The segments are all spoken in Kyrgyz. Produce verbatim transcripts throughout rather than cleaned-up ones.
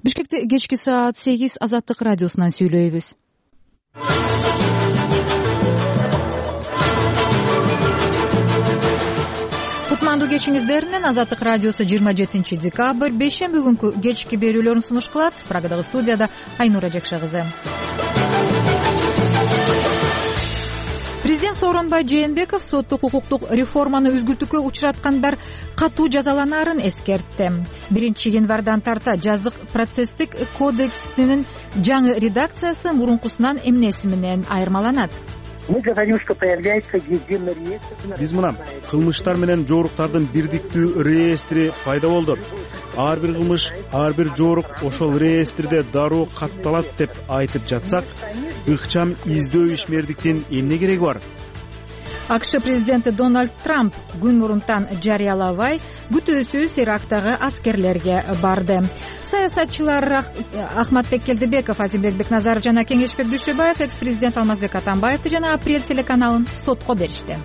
Бишкекте кечки саат сегиз Азаттык радиосунан сүйлөйбүз. Кутмандуу кечиңиздеринен Азаттык радиосу жыйырма жетинчи декабрь бейшемби күнкү кечки берүүлөрүн сунуш кылат. Прагадагы студияда Айнура Жакша кызы. Президент Сооронбай Жээнбеков соттук укуктук реформаны үзгүлтүккө учураткандар катуу жазаланаарын эскертти. биринчи январдан тарта жаздык процесстик кодексинин жаңы редакциясы мурункусунан эмнеси менен айырмаланат? Биз мына кылмыштар менен жооруктардын бирдиктүү реестри пайда болду. Ар бир кылмыш, ар бир жоорук ошол реестрде дароо катталат деп айтып жатсак, ыкчам издөө ишмердиктин эмне кереги бар? АКШ президенти Дональд Трамп күн мурунтан жарыялабай күтүүсүз Ирактагы аскерлерге барды. Саясатчылар Ахматбек Келдебеков, Азимбек Бекназаров жана Кеңешбек Дүйшөбаев экс-президент Алмазбек Атамбаевди жана Апрель телеканалын сотко беришти.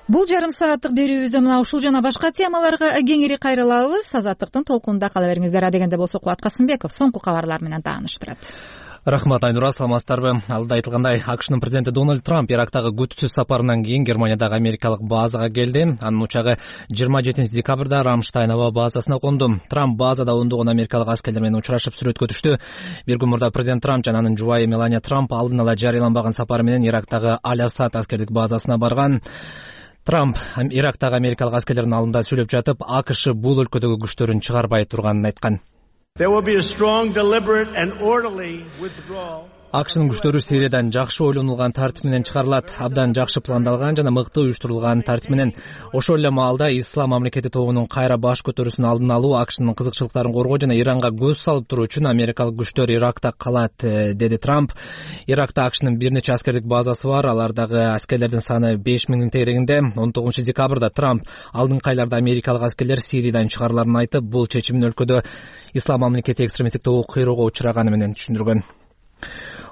Бул жарым сааттык берүүбүздө мына ушул жана башка темаларга кеңири кайрылабыз. Азаттыктын толкунунда кала бериңиздер. Адегенде болсо Кубат Касымбеков соңку кабарлар менен тааныштырат. Рахмат, Айнура, саламатсыздарбы? Алда айтылгандай, АКШнын президенти Дональд Трамп Ирактагы күтүүсүз сапарынан кийин Германиядагы америкалык базага келди. Анын учагы жыйырма жетинчи декабрда Рамштайн аба базасына конду. Трамп базада ондогон америкалык аскерлер менен учурашып сүрөткө түштү. Бир күн мурда президент Трамп жана анын жубайы Мелания Трамп алдын ала жарыяланбаган сапары менен Ирактагы Аль-Асад аскердик базасына барган. Трамп Ирактагы америкалык аскерлердин алдында сүйлөп жатып, АКШ бул өлкөдөгү күчтөрүн чыгарбай турганын айткан. АКШнын күчтөрү Сириядан жакшы ойлонулган тартип менен чыгарылат, абдан жакшы пландалган жана мыкты уюштурулган тартип менен. Ошол эле маалда Ислам мамлекети тобунун кайра баш көтөрүүсүн алдын алуу, АКШнын кызыкчылыктарын коргоо жана Иранга көз салып туруу үчүн америкалык күчтөр Иракта калат, деди Трамп. Иракта АКШнын бир нече аскердик базасы бар, алардагы аскерлердин саны беш миңдин тегерегинде. он тогузунчу декабрда Трамп алдыңкы айларда америкалык аскерлер Сириядан чыгарыларын айтып, бул чечимин өлкөдө Ислам мамлекети экстремисттик тобу кыйроого учураганы менен түшүндүргөн.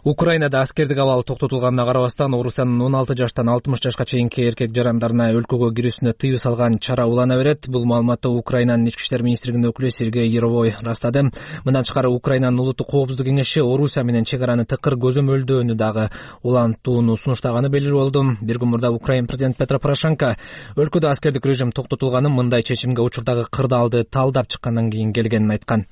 Украинада аскердик абал токтотулганына карабастан, Орусиянын он алты жаштан алтымыш жашка чейинки эркек жарандарына өлкөгө кирүүсүнө тыюу салган чара улана берет. Бул маалыматты Украинанын ички иштер министрлигинин өкүлү Сергей Яровой ырастады. Мындан тышкары Украинанын улуттук коопсуздук кеңеши Орусия менен чек араны тыкыр көзөмөлдөөнү дагы улантууну сунуштаганы белгилүү болду. Бир күн мурда Украин президенти Петро Порошенко өлкөдө аскердик режим токтотулганын мындай чечимге учурдагы кырдаалды талдап чыккандан кийин келгенин айткан.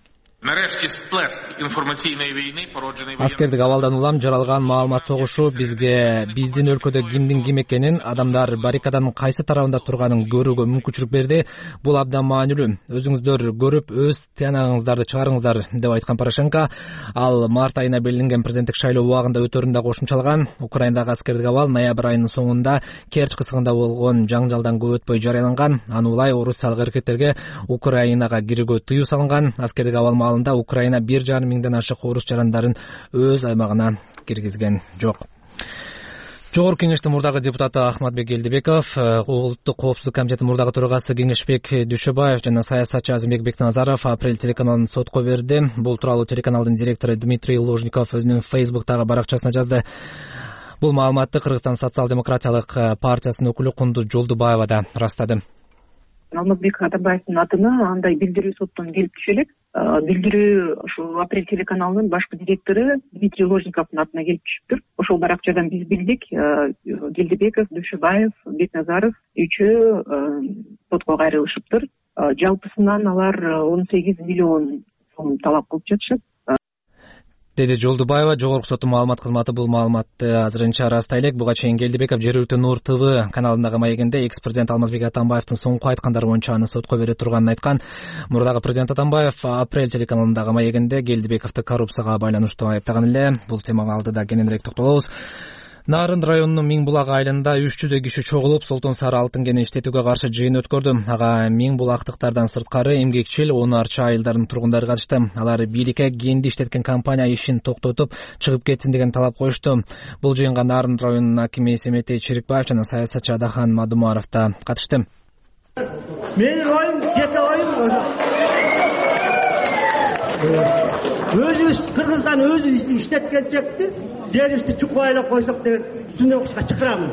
Аскердик абалдан улам жаралган маалымат согушу бизге биздин өлкөдө кимдин ким экенин, адамдар баррикаданын кайсы тарабында турганын көрүүгө мүмкүнчүлүк берди. Бул абдан маанилүү. Өзүңүздөр көрүп, өз тыянагыңыздарды чыгарыңыздар, деп айткан Порошенко. Ал март айына белгиленген президенттик шайлоо убагында өтөрүн да кошумчалаган. Украиндагы аскердик абал ноябрь айынын соңунда Керчь кысыгында болгон жаңжалдан көп өтпөй жарыяланган. Аны улай орусиялык эркектерге Украинага кирүүгө тыюу салынган. Аскердик абал маалында Украина бир жарым миңден ашык орус жарандарын өз аймагына киргизген жок. Жогорку кеңештин мурдагы депутаты Ахматбек Келдебеков, улуттук коопсуздук комитетинин мурдагы төрагасы Кеңешбек Дүйшөбаев жана саясатчы Азимбек Бекназаров Апрель телеканалын сотко берди. Бул тууралуу телеканалдын директору Дмитрий Ложников өзүнүн Фейсбуктагы баракчасына жазды. Бул маалыматты Кыргызстан социал-демократиялык партиясынын өкүлү Кундуз Жолдубаева да ырастады. Алмазбек Атамбаевдин атына андай билдирүү соттон келип түшө элек. Билдирүү ошо Апрель телеканалынын башкы директору Дмитрий Ложниковдун атына келип түшүптүр. Ошол баракчадан биз билдик, Келдебеков, Дүйшөбаев, Бекназаров үчөө сотко кайрылышыптыр. Жалпысынан алар он сегиз миллион сом талап кылып жатышат, деди Жолдубаева. Жогорку соттун маалымат кызматы бул маалыматты азырынча ырастай элек. Буга чейин Келдебеков жергиликтүү Нур ТВ каналындагы маегинде экс-президент Алмазбек Атамбаевдин соңку айткандары боюнча аны сотко бере турганын айткан. Мурдагы президент Атамбаев Апрель телеканалындагы маегинде Келдебековду коррупцияга байланыштуу айыптаган эле. Бул темага алдыда кененирээк токтолобуз. Нарын районунун Миң булак айылында үч жүздөй киши чогулуп, Солтон Сары алтын кенин иштетүүгө каршы жыйын өткөрдү. Ага Миң булактыктардан сырткары эмгекчил он арча айылдарынын тургундары катышты. Алар бийликке кенди иштеткен компания ишин токтотуп, чыгып кетсин деген талап коюшту. Бул жыйынга Нарын районунун акими Эсеметей Чирикбаев жана саясатчы Адахан Мадумаров да катышты. Менин оюм жеке оюм өзүбүз Кыргыздан өзү иштеткенчекти жерибизди чукпайлап койсок деген түнөкчүгө чакырамын.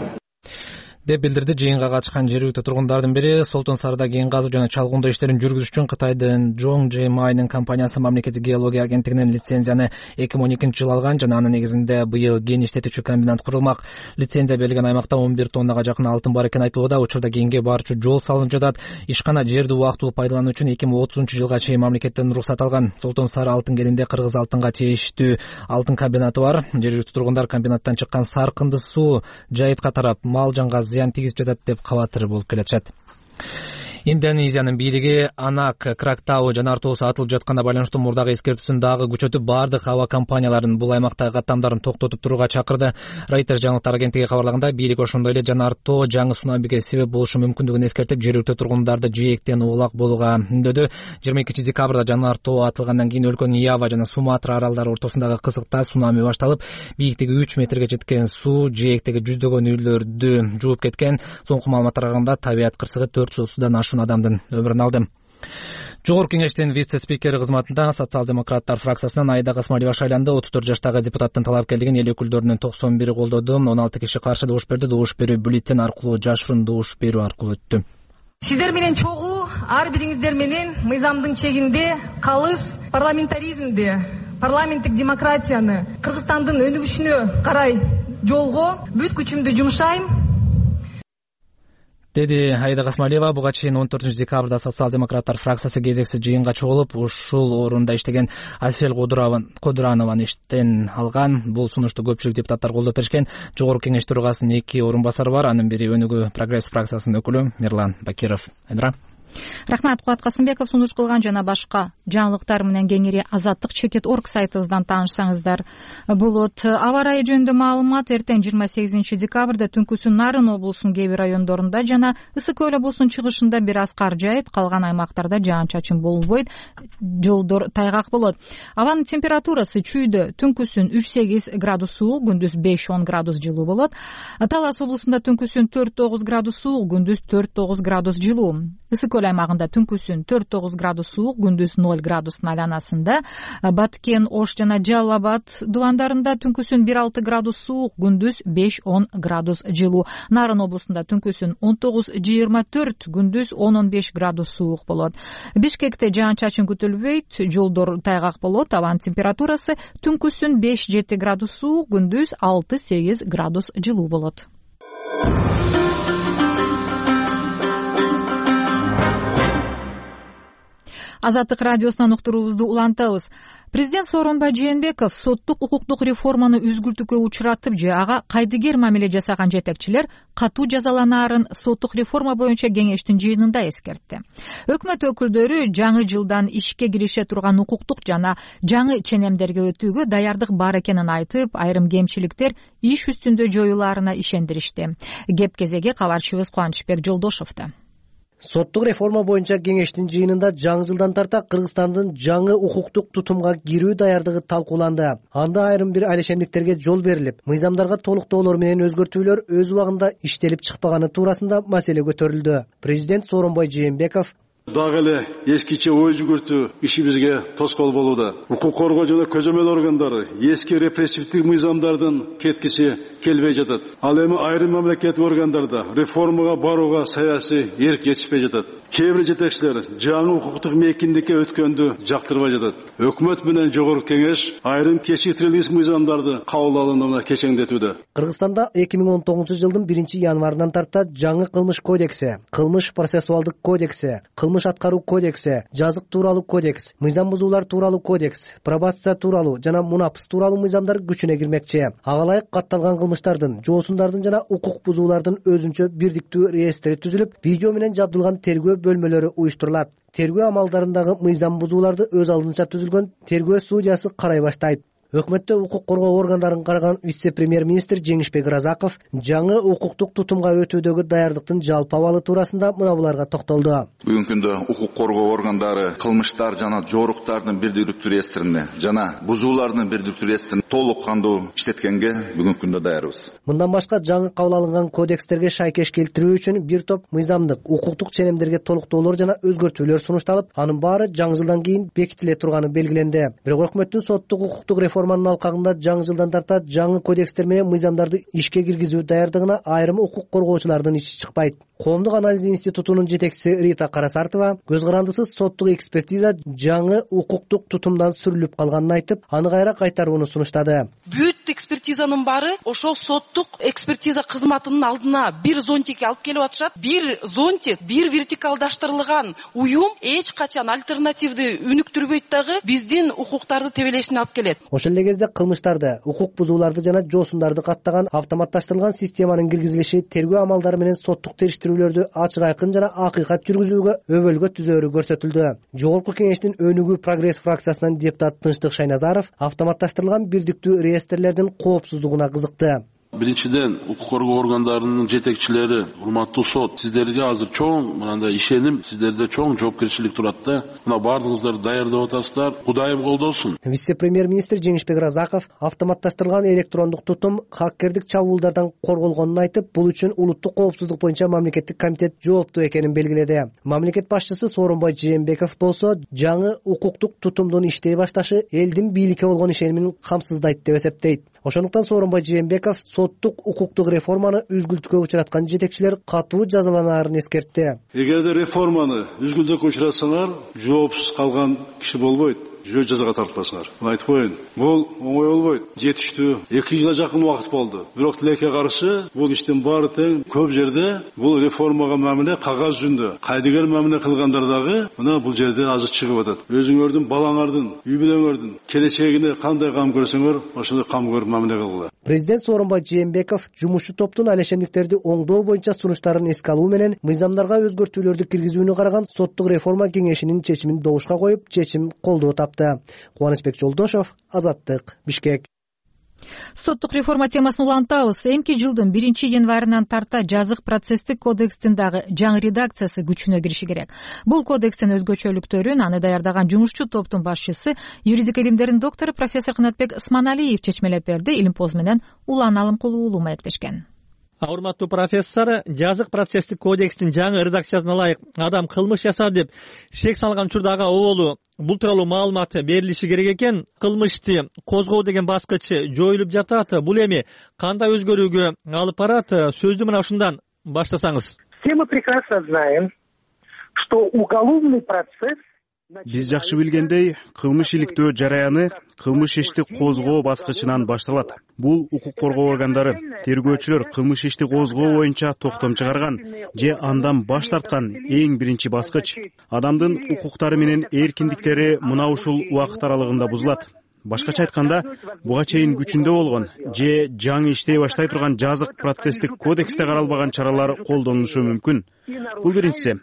деп билдирди жыйынга катышкан жергиликтүү тургундардын бири. Солтон Сарда кен казуу жана чалгындоо иштерин жүргүзүш үчүн Кытайдын Zhongjimay'нын компаниясы мамлекеттик геология агенттигинен лицензияны эки миң он экинчи жылы алган жана анын негизинде быйыл кен иштетүүчү комбинат курулмак. Лицензия берилген аймакта он бир тоннага жакын алтын бар экени айтылууда. Учурда кенге барчу жол салынып жатат. Ишкана жерди убактылуу пайдалануу үчүн эки миң отузунчу жылга чейин мамлекеттен уруксат алган. Солтон Сары алтын кенинде кыргыз алтынга тийиштүү алтын комбинаты бар. Жергиликтүү тургундар комбинаттан чыккан саркынды суу жайытка тарап мал жанга зыян тийгизип жатат деп кабатыр болуп келатышат. Индонезиянын бийлиги Анак Крактау жанар тоосу атылып жатканына байланыштуу мурдагы эскертүүсүн дагы күчөтүп, бардык аба компанияларын бул аймактагы каттамдарын токтотуп турууга чакырды. Reuters жаңылыктар агенттиги кабарлаганда, бийлик ошондой эле жанар тоо жаңы цунамиге себеп болушу мүмкүндүгүн эскертип, жергиликтүү тургундарды жээктен улак болууга үндөдү. жыйырма экинчи декабрда жанар тоо атылгандан кийин өлкөнүн Ява жана Суматра аралдары ортосундагы кызыкта цунами башталып, бийиктиги үч метрге жеткен суу жээктеги жүздөгөн үйлөрдү жууп кеткен. Соңку маалыматтарга караганда табият кырсыгы төрт жүз отуздан ашуун адамдын өмүрүн алды. Жогорку кеңештин вице-спикери кызматында социал-демократтар фракциясынан Аида Касмалиева шайланды. отуз төрт жаштагы депутаттын талапкерлигин эл өкүлдөрүнүн токсон бири колдоду. он алты киши каршы добуш берди. Добуш берүү бюллетень аркылуу, жашыруун добуш берүү аркылуу өттү. Сиздер менен чогуу ар бириңиздер менен мыйзамдын чегинде калыс парламентаризмди, парламенттик демократияны Кыргызстандын өнүгүшүнө карай жолго бүт күчүмдү жумшайм, деди Аида Касмалиева. Буга чейин он төртүнчү декабрда социал-демократтар фракциясы кезексиз жыйынга чогулуп, ушул орунда иштеген Асель Кодуранованы иштен алган. Бул сунушту көпчүлүк депутаттар колдоп беришкен. Жогорку кеңеш төрагасынын эки орун басары бар. Анын бири Өнүгүү Прогресс фракциясынын өкүлү Мирлан Бакиров. Айдра. Рахмат, Кубат Касымбеков. Сунуш кылган жана башка жаңылыктар менен кеңири азаттык чекит орг сайтыбыздан таанышсаңыздар болот. Аба ырайы жөнүндө маалымат: эртең жыйырма сегизинчи декабрда түнкүсүн Нарын облусунун кээ бир райондорунда жана Ысык көл облусунун чыгышында бир аз кар жаайт, калган аймактарда жаан-чачын болбойт, жолдор тайгак болот. Абанын температурасы чүйдө түнкүсүн үч сегиз градус суук, күндүз беш он градус жылуу болот. Талас облусунда түнкүсүн төрт тогуз градус суук, күндүз төрт тогуз градус жылуу. Ысык көл аймагында түнкүсүн төрт тогуз градус суук, күндүз ноль градустун айланасында. Баткен, Ош жана Жалал Абад дубандарында түнкүсүн бир алты градус суук, күндүз беш он градус жылуу. Нарын облусунда түнкүсүн он тогуз жыйырма төрт, күндүз он он беш градус суук болот. Бишкекте жаан-чачын күтүлбөйт, жолдор тайгак болот. Абанын температурасы түнкүсүн беш жети градус суук, күндүз алты сегиз градус жылуу болот. Азаттык радиосунан уктуруубузду улантабыз. Президент Сооронбай Жээнбеков соттук укуктук реформаны үзгүлтүүгө учуратып же ага кайдыгер мамиле жасаган жетекчилер катуу жазаланаарын соттук реформа боюнча кеңештин жыйынында эскертти. Өкмөт өкүлдөрү жаңы жылдан ишке кирише турган укуктук жана жаңы ченемдерге өтүүгө даярдык бар экенин айтып, айрым кемчиликтер иш үстүндө жоюлаарына ишендиришти. Кеп кезеги кабарчыбыз Кубанычбек Жолдошовдо. Соттук реформа боюнча кеңештин жыйынында жаңы жылдан тарта Кыргызстандын жаңы укуктук тутумга кирүү даярдыгы талкууланды. Анда айрым бир алешемдиктерге жол берилип, мыйзамдарга толуктоолор менен өзгөртүүлөр өз убагында иштелип чыкпаганы туурасында маселе көтөрүлдү. Президент Сооронбай Жээнбеков дагы эле эскиче ой жүгүртүү ишибизге тоскоол болууда. Укук коргоо жана көзөмөл органдары эски репрессивдик мыйзамдардын кеткиси келбей жатат. Ал эми айрым мамлекеттик органдарда реформага барууга саясий эрк жетишпей жатат. Кээ бир жетекчилер жаңы укуктук мейкиндикке өткөндү жактырбай жатат. Өкмөт менен жогорку кеңеш айрым кечиктирилгис мыйзамдарды кабыл алууну кечеңдетүүдө. Кыргызстанда эки миң он тогузунчу жылдын биринчи январынан тарта жаңы кылмыш кодекси, кылмыш процессуалдык кодекси, кылмыш аткаруу кодекси, жазык тууралуу кодекс, мыйзам бузуулар тууралуу кодекс, пробация тууралуу жана мунапс тууралуу мыйзамдар күчүнө кирмекчи. Ага ылайык катталган кылмыштардын, жоосундардын жана укук бузуулардын өзүнчө бирдиктүү реестри түзүлүп, видео менен жабдылган тергөө бөлмөлөрү уюштурулат. Тергөө амалдарындагы мыйзам бузууларды өз алдынча түзүлгөн тергөө судьясы карай баштайт. Өкмөттө укук коргоо органдарын караган вице-премьер-министр Жеңишбек Разаков жаңы укуктук тутумга өтүүдөгү даярдыктын жалпы абалы туурасында мына буларга токтолду. Бүгүнкү күндө укук коргоо органдары кылмыштар жана жоруктардын бирдиктүү реестрине жана бузуулардын бирдиктүү реестрин толук кандуу иштеткенге бүгүнкү күндө даярбыз. Мындан башка жаңы кабыл алынган кодекстерге шайкеш келтирүү үчүн бир топ мыйзамдык, укуктук ченемдерге толуктоолор жана өзгөртүүлөр сунушталып, анын баары жаңы жылдан кийин бекитиле турганы белгиленди. Бирок өкмөттүн соттук укуктук реформа реформанын алкагында жаңы жылдан тарта жаңы кодекстер менен мыйзамдарды ишке киргизүү даярдыгына айрым укук коргоочулардын иши чыкпайт. Коомдук анализ институтунун жетекчиси Рита Карасартова көз карандысыз соттук экспертиза жаңы укуктук тутумдан сүрүлүп калганын айтып, аны кайра кайтарууну сунуштады. Бүт экспертизанын баары ошол соттук экспертиза кызматынын алдына бир зонтикке алып келип атышат. Бир зонтик, бир вертикалдаштырылган уюм эч качан альтернативди өнүктүрбөйт дагы биздин укуктарды тебелешине алып келет. Ошол эле кезде кылмыштарды, укук бузууларды жана жоосундарды каттаган автоматташтырылган системанын киргизилиши тергөө амалдары менен соттук териштирүүлөрдү ачык айкын жана акыйкат жүргүзүүгө өбөлгө түзөөрү көрсөтүлдү. Жогорку кеңештин өнүгүү прогресс фракциясынан депутат Тынчтык Шайназаров автоматташтырылган бирдиктүү реестрлердин коопсуздугуна кызыкты. Биринчиден, укук коргоо органдарынын жетекчилери, урматтуу сот, сиздерге азыр чоң мындай ишеним, сиздерде чоң жоопкерчилик турат да. Мына бардыгыңыздар даярдап атасыздар. Кудайым колдосун. Вице-премьер-министр Жеңишбек Разаков автоматташтырылган электрондук тутум хаккердик чабуулдардан корголгонун айтып, бул үчүн улуттук коопсуздук боюнча мамлекеттик комитет жооптуу экенин белгиледи. Мамлекет башчысы Сооронбай Жээнбеков болсо, жаңы укуктук тутумдун иштей башташы элдин бийликке болгон ишенимин камсыздайт деп эсептейт. Ошондуктан Сооронбай Жээнбеков соттук укуктук реформаны үзгүлтүккө учураткан жетекчилер катуу жазаланаарын эскертти. Эгерде реформаны үзгүлтүккө учуратсаңар, жоопсуз калган киши болбойт. Жөө жазага тартыласыңар. Мына айтып коеюн. Бул оңой болбойт. Жетиштүү эки жылга жакын убакыт болду. Бирок тилекке каршы бул иштин баары тең көп жерде бул реформага мамиле кагаз жүзүндө. Кайдыгер мамиле кылгандар дагы мына бул жерде азыр чыгып атат. Өзүңөрдүн, балаңардын, үй бүлөңөрдүн келечегине кандай кам көрсөңөр, ошондой кам көрүп мамиле кылгыла. Президент Сооронбай Жээнбеков жумушчу топтун алешемдиктерди оңдоо боюнча сунуштарын эске алуу менен мыйзамдарга өзгөртүүлөрдү киргизүүнү караган соттук реформа кеңешинин чечимин добушка коюп, чечим колдоо тапты. Кубанычбек Жолдошов, Азаттык, Бишкек. Соттук реформа темасын улантабыз. Эмки жылдын биринчи январынан тарта жазык процесстик кодекстин дагы жаңы редакциясы күчүнө кириши керек. Бул кодекстин өзгөчөлүктөрүн аны даярдаган жумушчу топтун башчысы, юридика илимдеринин доктору профессор Кынатбек Сманалиев чечмелеп берди. Илимпоз менен Улан Алымкулуу уулу маектешкен. Урматтуу профессор, жазык процесстик кодекстин жаңы редакциясына ылайык адам кылмыш жасады деп шек салган учурдагы оболу бул тууралуу маалымат берилиши керек экен. Кылмышты козгоо деген баскыч жоюлуп жатат. Бул эми кандай өзгөрүүгө алып барат? Сөздү мына ушундан баштасаңыз. Все мы прекрасно знаем, что уголовный процесс. Биз жакшы билгендей, кылмыш иликтөө жараяны кылмыш ишти козгоо баскычынан башталат. Бул укук коргоо органдары, тергөөчүлөр кылмыш ишти козгоо боюнча токтом чыгарган же андан баш тарткан эң биринчи баскыч. Адамдын укуктары менен эркиндиктери мына ушул убакыт аралыгында бузулат. Башкача айтканда, буга чейин күчүндө болгон же жаңы иштей баштай турган жазык процесстик кодексте каралбаган чаралар колдонулушу мүмкүн. Бул биринчиси.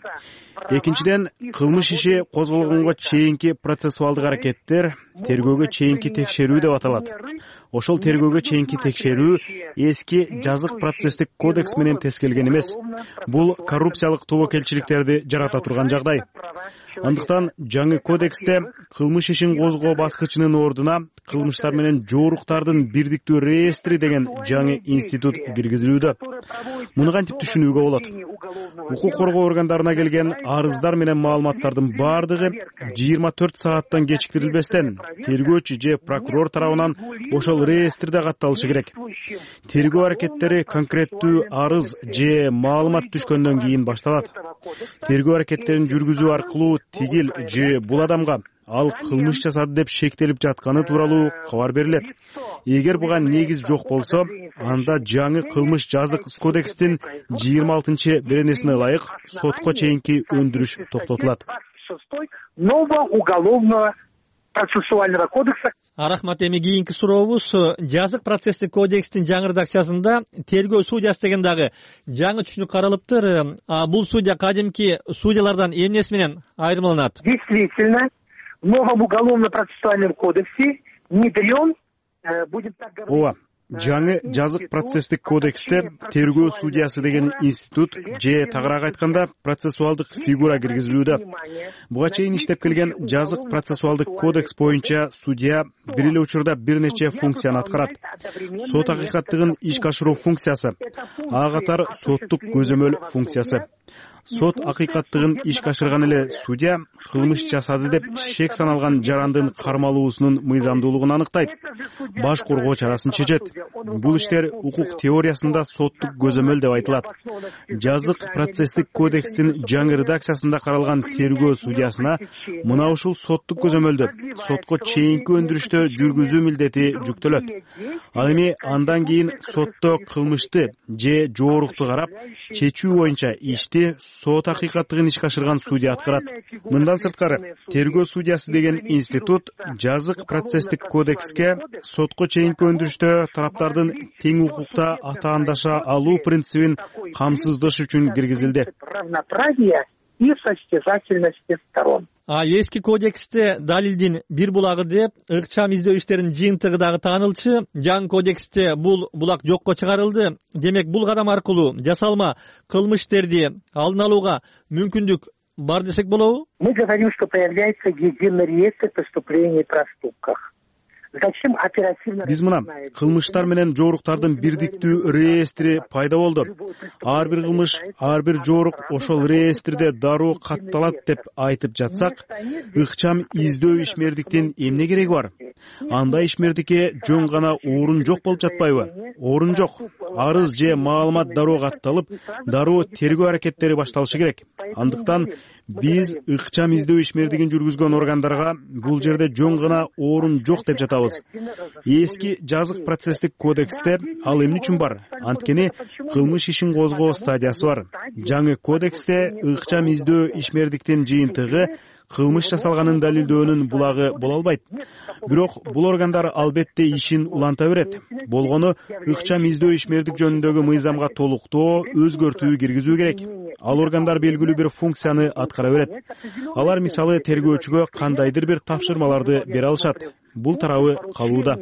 Экинчиден, кылмыш иши козголгонго чейинки процессуалдык аракеттер тергөөгө чейинки текшерүү деп аталат. Ошол тергөөгө чейинки текшерүү эски жазык процесстик кодекс менен тескелген эмес. Бул коррупциялык тобокелчиликтерди жарата турган жагдай. Андыктан жаңы кодексте кылмыш ишин козгоо баскычынын ордуна кылмыштар менен жооруктардын бирдиктүү реестри деген жаңы институт киргизилүүдө. Муну кантип түшүнүүгө болот? Укук коргоо органдарына келген арыздар менен маалыматтардын баардыгы жыйырма төрт сааттан кечиктирилбестен тергөөчү же прокурор тарабынан ошол реестрде катталышы керек. Тергөө аракеттери конкреттүү арыз же маалымат түшкөндөн кийин башталат. Тергөө аракеттерин жүргүзүү аркылуу тигил же бул адамга ал кылмыш жасады деп шектелип жатканы тууралуу кабар берилет. Эгер буга негиз жок болсо, анда жаңы кылмыш жазык кодекстин жыйырма алтынчы беренесине ылайык сотко чейинки өндүрүш токтотулат. Нового уголовного процессуального кодекса. Рахмат. Эми кийинки сурообуз, жазык процесстик кодекстин жаңы редакциясында тергөө судьясы деген дагы жаңы түшүнүк каралыптыр. А бул судья кадимки судьялардан эмнеси менен айырмаланат? Действительно, в новом уголовно-процессуальном кодексе внедрен, будем так говорить. Ооба, жаңы жазык процесстик кодексте тергөө судьясы деген институт же тагыраак айтканда процессуалдык фигура киргизилүүдө. Буга чейин иштеп келген жазык процессуалдык кодекс боюнча судья бир эле учурда бир нече функцияны аткарат. Сот акыйкаттыгын ишке ашыруу функциясы, ага катар соттук көзөмөл функциясы. сот акыйкаттыгын ишке ашырган эле судья кылмыш жасады деп шек саналган жарандын кармалуусунун мыйзамдуулугун аныктайт, баш коргоо чарасын чечет. Бул иштер укук теориясында соттук көзөмөл деп айтылат. Жазык процесстик кодекстин жаңы редакциясында каралган тергөө судьясына мына ушул соттук көзөмөлдү сотко чейинки өндүрүштө жүргүзүү милдети жүктөлөт. Ал эми андан кийин сотто кылмышты же жоорукту карап, чечүү боюнча ишти сот акыйкаттыгын ишке ашырган судья аткарат. Мындан сырткары, тергөө судьясы деген институт жазык процесстик кодекске сотко чейинки өндүрүштө тараптардын тең укукта атаандаша алуу принцибин камсыздаш үчүн киргизилди. И состязательности сторон. А эски кодексте далилдин бир булагы деп ыкчам издөө иштеринин жыйынтыгы дагы таанылчу. Жаңы кодексте бул булак жокко чыгарылды. Демек бул кадам аркылуу жасалма кылмыш иштерди алдын алууга мүмкүндүк бар десек болобу? Мы говорим, что появляется единый реестр преступлений и проступков. Биз мына кылмыштар менен жооруктардын бирдиктүү реестри пайда болду. Ар бир кылмыш, ар бир жоорук ошол реестрде дароо катталат деп айтып жатсак, ыкчам издөө ишмердиктин эмне кереги бар? Андай ишмердикке жөн гана орун жок болуп жатпайбы? Орун жок. Арыз же маалымат дароо катталып, дароо тергөө аракеттери башталышы керек. Андыктан биз ыкчам издөө ишмердигин жүргүзгөн органдарга бул жерде жөн гана орун жок деп жатабыз. Эски жазык процесстик кодексте ал эмне үчүн бар? Анткени кылмыш ишин козгоо стадиясы бар. Жаңы кодексте ыкчам издөө ишмердиктин жыйынтыгы кылмыш жасалганын далилдөөнүн булагы боло албайт. Бирок бул органдар албетте ишин уланта берет. Болгону ыкчам издөө ишмердик жөнүндөгү мыйзамга толуктоо, өзгөртүү киргизүү керек. Ал органдар белгилүү бир функцияны аткара берет. Алар мисалы тергөөчүгө кандайдыр бир тапшырмаларды бере алышат. Бул тарабы калууда.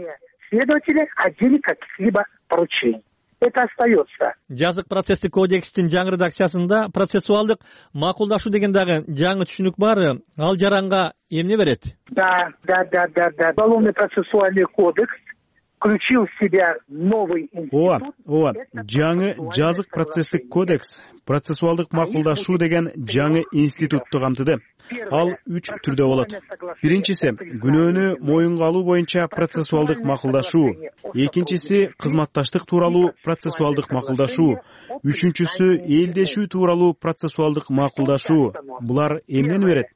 Следователи отдели каких-либо поручений. Это остается. Жазык процесстик кодекстин жаңы редакциясында процессуалдык макулдашуу деген дагы жаңы түшүнүк бар. Ал жаранга эмне берет? Да, да, да, да, да. Уголовный процессуальный кодекс включил в себя новый институт. Ооба, ооба. Жаңы жазык процесстик кодекс процессуалдык макулдашуу деген жаңы институтту камтыды. Ал үч түрдө болот. Биринчиси күнөөнү моюнга алуу боюнча процессуалдык макулдашуу, экинчиси кызматташтык тууралуу процессуалдык макулдашуу, үчүнчүсү элдешүү тууралуу процессуалдык макулдашуу. Булар эмнени берет?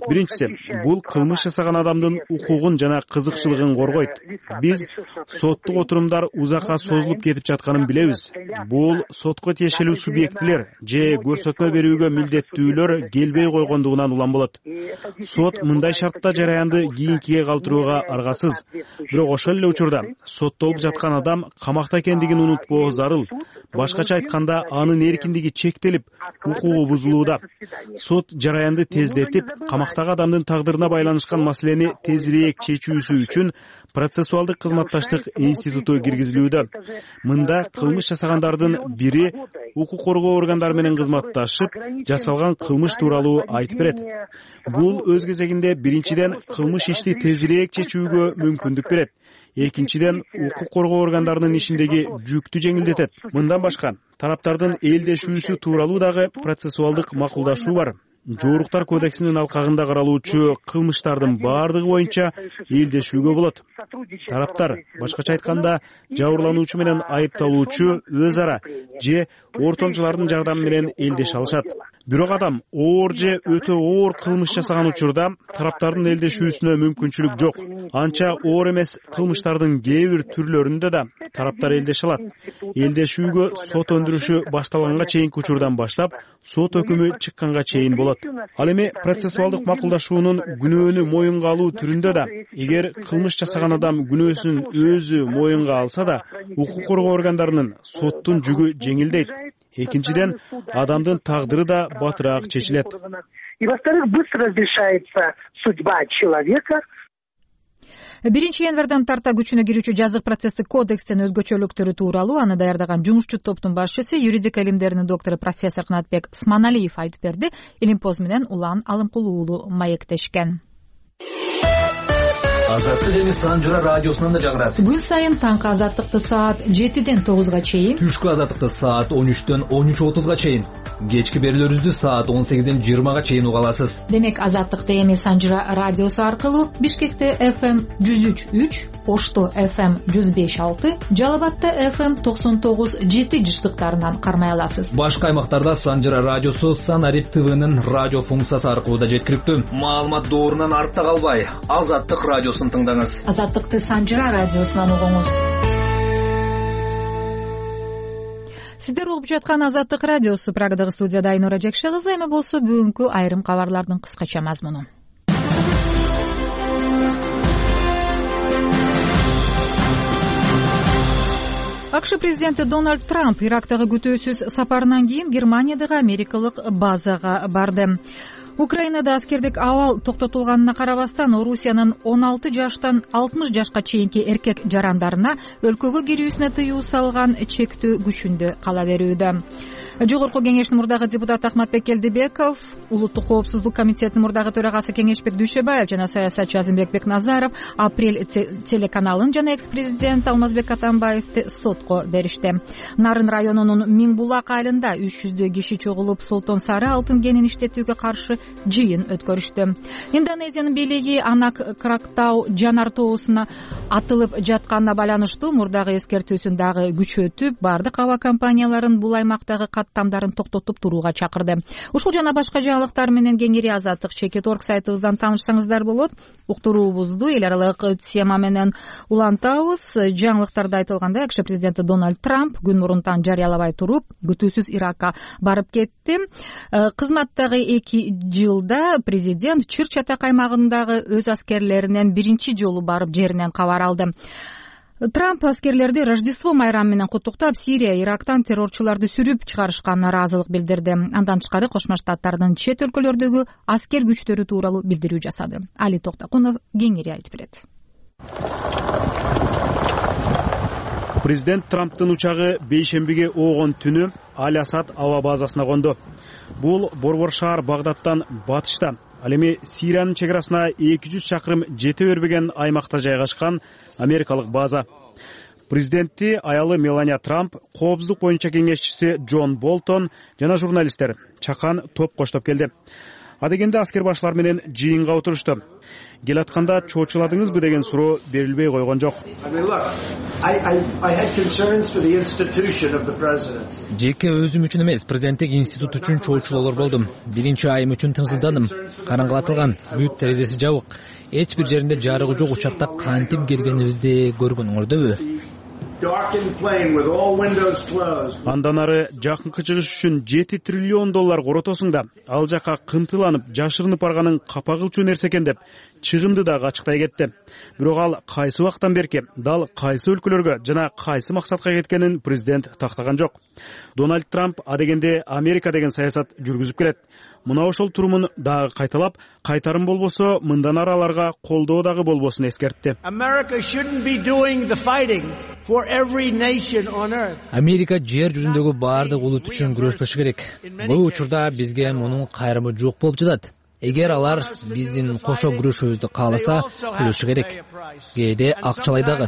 Биринчиси, бул кылмыш жасаган адамдын укугун жана кызыкчылыгын коргойт. Биз соттук отурумдар узакка созулуп кетип жатканын билебиз. Бул сотко тиешелүү субъектилер же көрсөтмө берүүгө милдеттүүлөр келбей койгондугунан улам болот. Сот мындай шартта жараянды кийинкиге калтырууга аргасыз. Бирок ошол эле учурда соттолуп жаткан адам камакта экендигин унутпоо зарыл. Башкача айтканда, анын эркиндиги чектелип, укугу бузулууда. Сот жараянды тездетип, камактагы адамдын тагдырына байланышкан маселени тезирээк чечүүсү үчүн процессуалдык кызматташтык институту киргизилүүдө. Мында кылмыш жасагандардын бири укук коргоо органдары менен кызматташып, жасалган кылмыш тууралуу айтып берет. Бул өз кезегинде биринчиден кылмыш ишти тезирээк чечүүгө мүмкүндүк берет. Экинчиден, укук коргоо органдарынын ишиндеги жүктү жеңилдетет. Мындан башка, тараптардын элдешүүсү тууралуу дагы процессуалдык макулдашуу бар. Жооруктар кодексинин алкагында каралуучу кылмыштардын баардыгы боюнча элдешүүгө болот. Тараптар, башкача айтканда, жабырлануучу менен айыпталуучу өз ара же ортомчулардын жардамы менен элдеше алышат. Бирок адам оор же өтө оор кылмыш жасаган учурда тараптардын элдешүүсүнө мүмкүнчүлүк жок. Анча оор эмес кылмыштардын кээ бир түрлөрүндө да тараптар элдеше алат. Элдешүүгө сот өндүрүшү башталганга чейинки учурдан баштап, сот өкүмү чыкканга чейин болот. Ал эми процессуалдык макулдашуунун күнөөнү моюнга алуу түрүндө да, эгер кылмыш жасаган адам күнөөсүн өзү моюнга алса да, укук коргоо органдарынын соттун жүгү жеңилдейт. Экинчиден, адамдын тагдыры да батыраак чечилет. И во-вторых, быстро разрешается судьба человека. Биринчи январдан тарта күчүнө кирүүчү жазык процесстик кодекстин өзгөчөлүктөрү тууралуу аны даярдаган жумушчу топтун башчысы, юридика илимдеринин доктору профессор Канатбек Сманалиев айтып берди. Илимпоз менен Улан Алымкулуу уулу маектешкен. Азаттык эми Санжыра радиосунан да жагырат. Күн сайын таңкы азаттыкты саат жетиден тогузга чейин, түшкү азаттыкты саат он үчтөн он үч отузга чейин, кечки берүүлөрүбүздү саат он сегизден жыйырмага чейин уга аласыз. Демек азаттыкты эми Санжыра радиосу аркылуу Бишкекте эф эм жүз үч үч, Ошто эф эм жүз беш алты, Жалал Абадта эф эм токсон тогуз жети жыштыктарынан кармай аласыз. Башка аймактарда Санжыра радиосу Санарип ТВнын радио функциясы аркылуу да жеткиликтүү. Маалымат доорунан артта калбай, Азаттык радиосун тыңдаңыз. Азаттыкты Санжыра радиосунан угуңуз. Сиздер угуп жаткан Азаттык радиосу. Прагадагы студияда Айнура Жекше кызы. Эми болсо бүгүнкү айрым кабарлардын кыскача мазмуну. АКШ президенти Дональд Трамп Ирактагы күтүүсүз сапарынан кийин Германиядагы америкалык базага барды. Украинада аскердик абал токтотулганына карабастан, Орусиянын он алты жаштан алтымыш жашка чейинки эркек жарандарына өлкөгө кирүүсүнө тыюу салган чектөө күчүндө кала берүүдө. Жогорку кеңештин мурдагы депутаты Ахматбек Келдибеков, Улуттук коопсуздук комитетинин мурдагы төрагасы Кеңешбек Дүйшөбаев жана саясатчы Азимбек Бекназаров Апрель телеканалын жана экс-президент Алмазбек Атамбаевди сотко беришти. Нарын районунун Миңбулак айылында үч жүздөй киши чогулуп, Солтон Сары алтын кенин иштетүүгө каршы жыйын өткөрүштү. Индонезиянын бийлиги Анак Крактау жанар тоосуна атылып жатканына байланыштуу мурдагы эскертүүсүн дагы күчөтүп, бардык аба компанияларын бул аймактагы каттамдарын токтотуп турууга чакырды. Ушул жана башка жаңылыктар менен кеңири Азаттык чекит точка орг сайтыбыздан таанышсаңыздар болот. Уктуруубузду эл аралык тема менен улантабыз. Жаңылыктарда айтылгандай, АКШ президенти Дональд Трамп күн мурунтан жарыялабай туруп, күтүүсүз Иракка барып кетти. Кызматтагы эки жылда президент Чыр-Чатак аймагындагы өз аскерлеринен биринчи жолу барып жеринен кабар алды. Трамп аскерлерди Рождество майрамы менен куттуктап, Сирия, Ирактан террорчуларды сүрүп чыгарышканына ыраазылык билдирди. Андан тышкары Кошмо Штаттардын чет өлкөлөрдөгү аскер күчтөрү тууралуу билдирүү жасады. Али Токтокунов кеңири айтып берет. Президент Трамптын учагы бейшембиге оогон түнү Аль-Асад аба базасына конду. Бул борбор шаар Багдадтан батышта, ал эми Сириянын чек арасына эки жүз чакырым жете бербеген аймакта жайгашкан америкалык база. Президентти аялы Мелания Трамп, коопсуздук боюнча кеңешчиси Джон Болтон жана журналисттер чакан топ коштоп келди. Адегенде аскер башлар менен жыйынга отурушту. Келатканда чоочуладыңызбы деген суроо берилбей койгон жок. Жеке өзүм үчүн эмес, президенттик институт үчүн чоочулоолор болдум. Биринчи айым үчүн тынчсыздандым. Караңгылатылган, бүт терезеси жабык. Эч бир жеринде жарыгы жок учакта кантип келгенибизди көргөнүңөрдөбү? Андан ары жакынкы чыгыш үчүн жети триллион доллар коротосуң да, ал жака кымтыланып, жашырынып барганын капа кылчу нерсе экен деп чыгымды дагы ачыктай кетти. Бирок ал кайсы убактан берки, дал кайсы өлкөлөргө жана кайсы максатка кеткенин президент тактаган жок. Дональд Трамп адегенде Америка деген саясат жүргүзүп келет. Мына ошол турумун дагы кайталап, кайтарым болбосо мындан ары аларга колдоо дагы болбосун эскертти. Америка жер жүзүндөгү баардык улут үчүн күрөшпөшү керек. Бул учурда бизге мунун кайрымы жок болуп жатат. Эгер алар биздин кошо күрөшүүбүздү кааласа, төлөшү керек. Кээде акчалай дагы.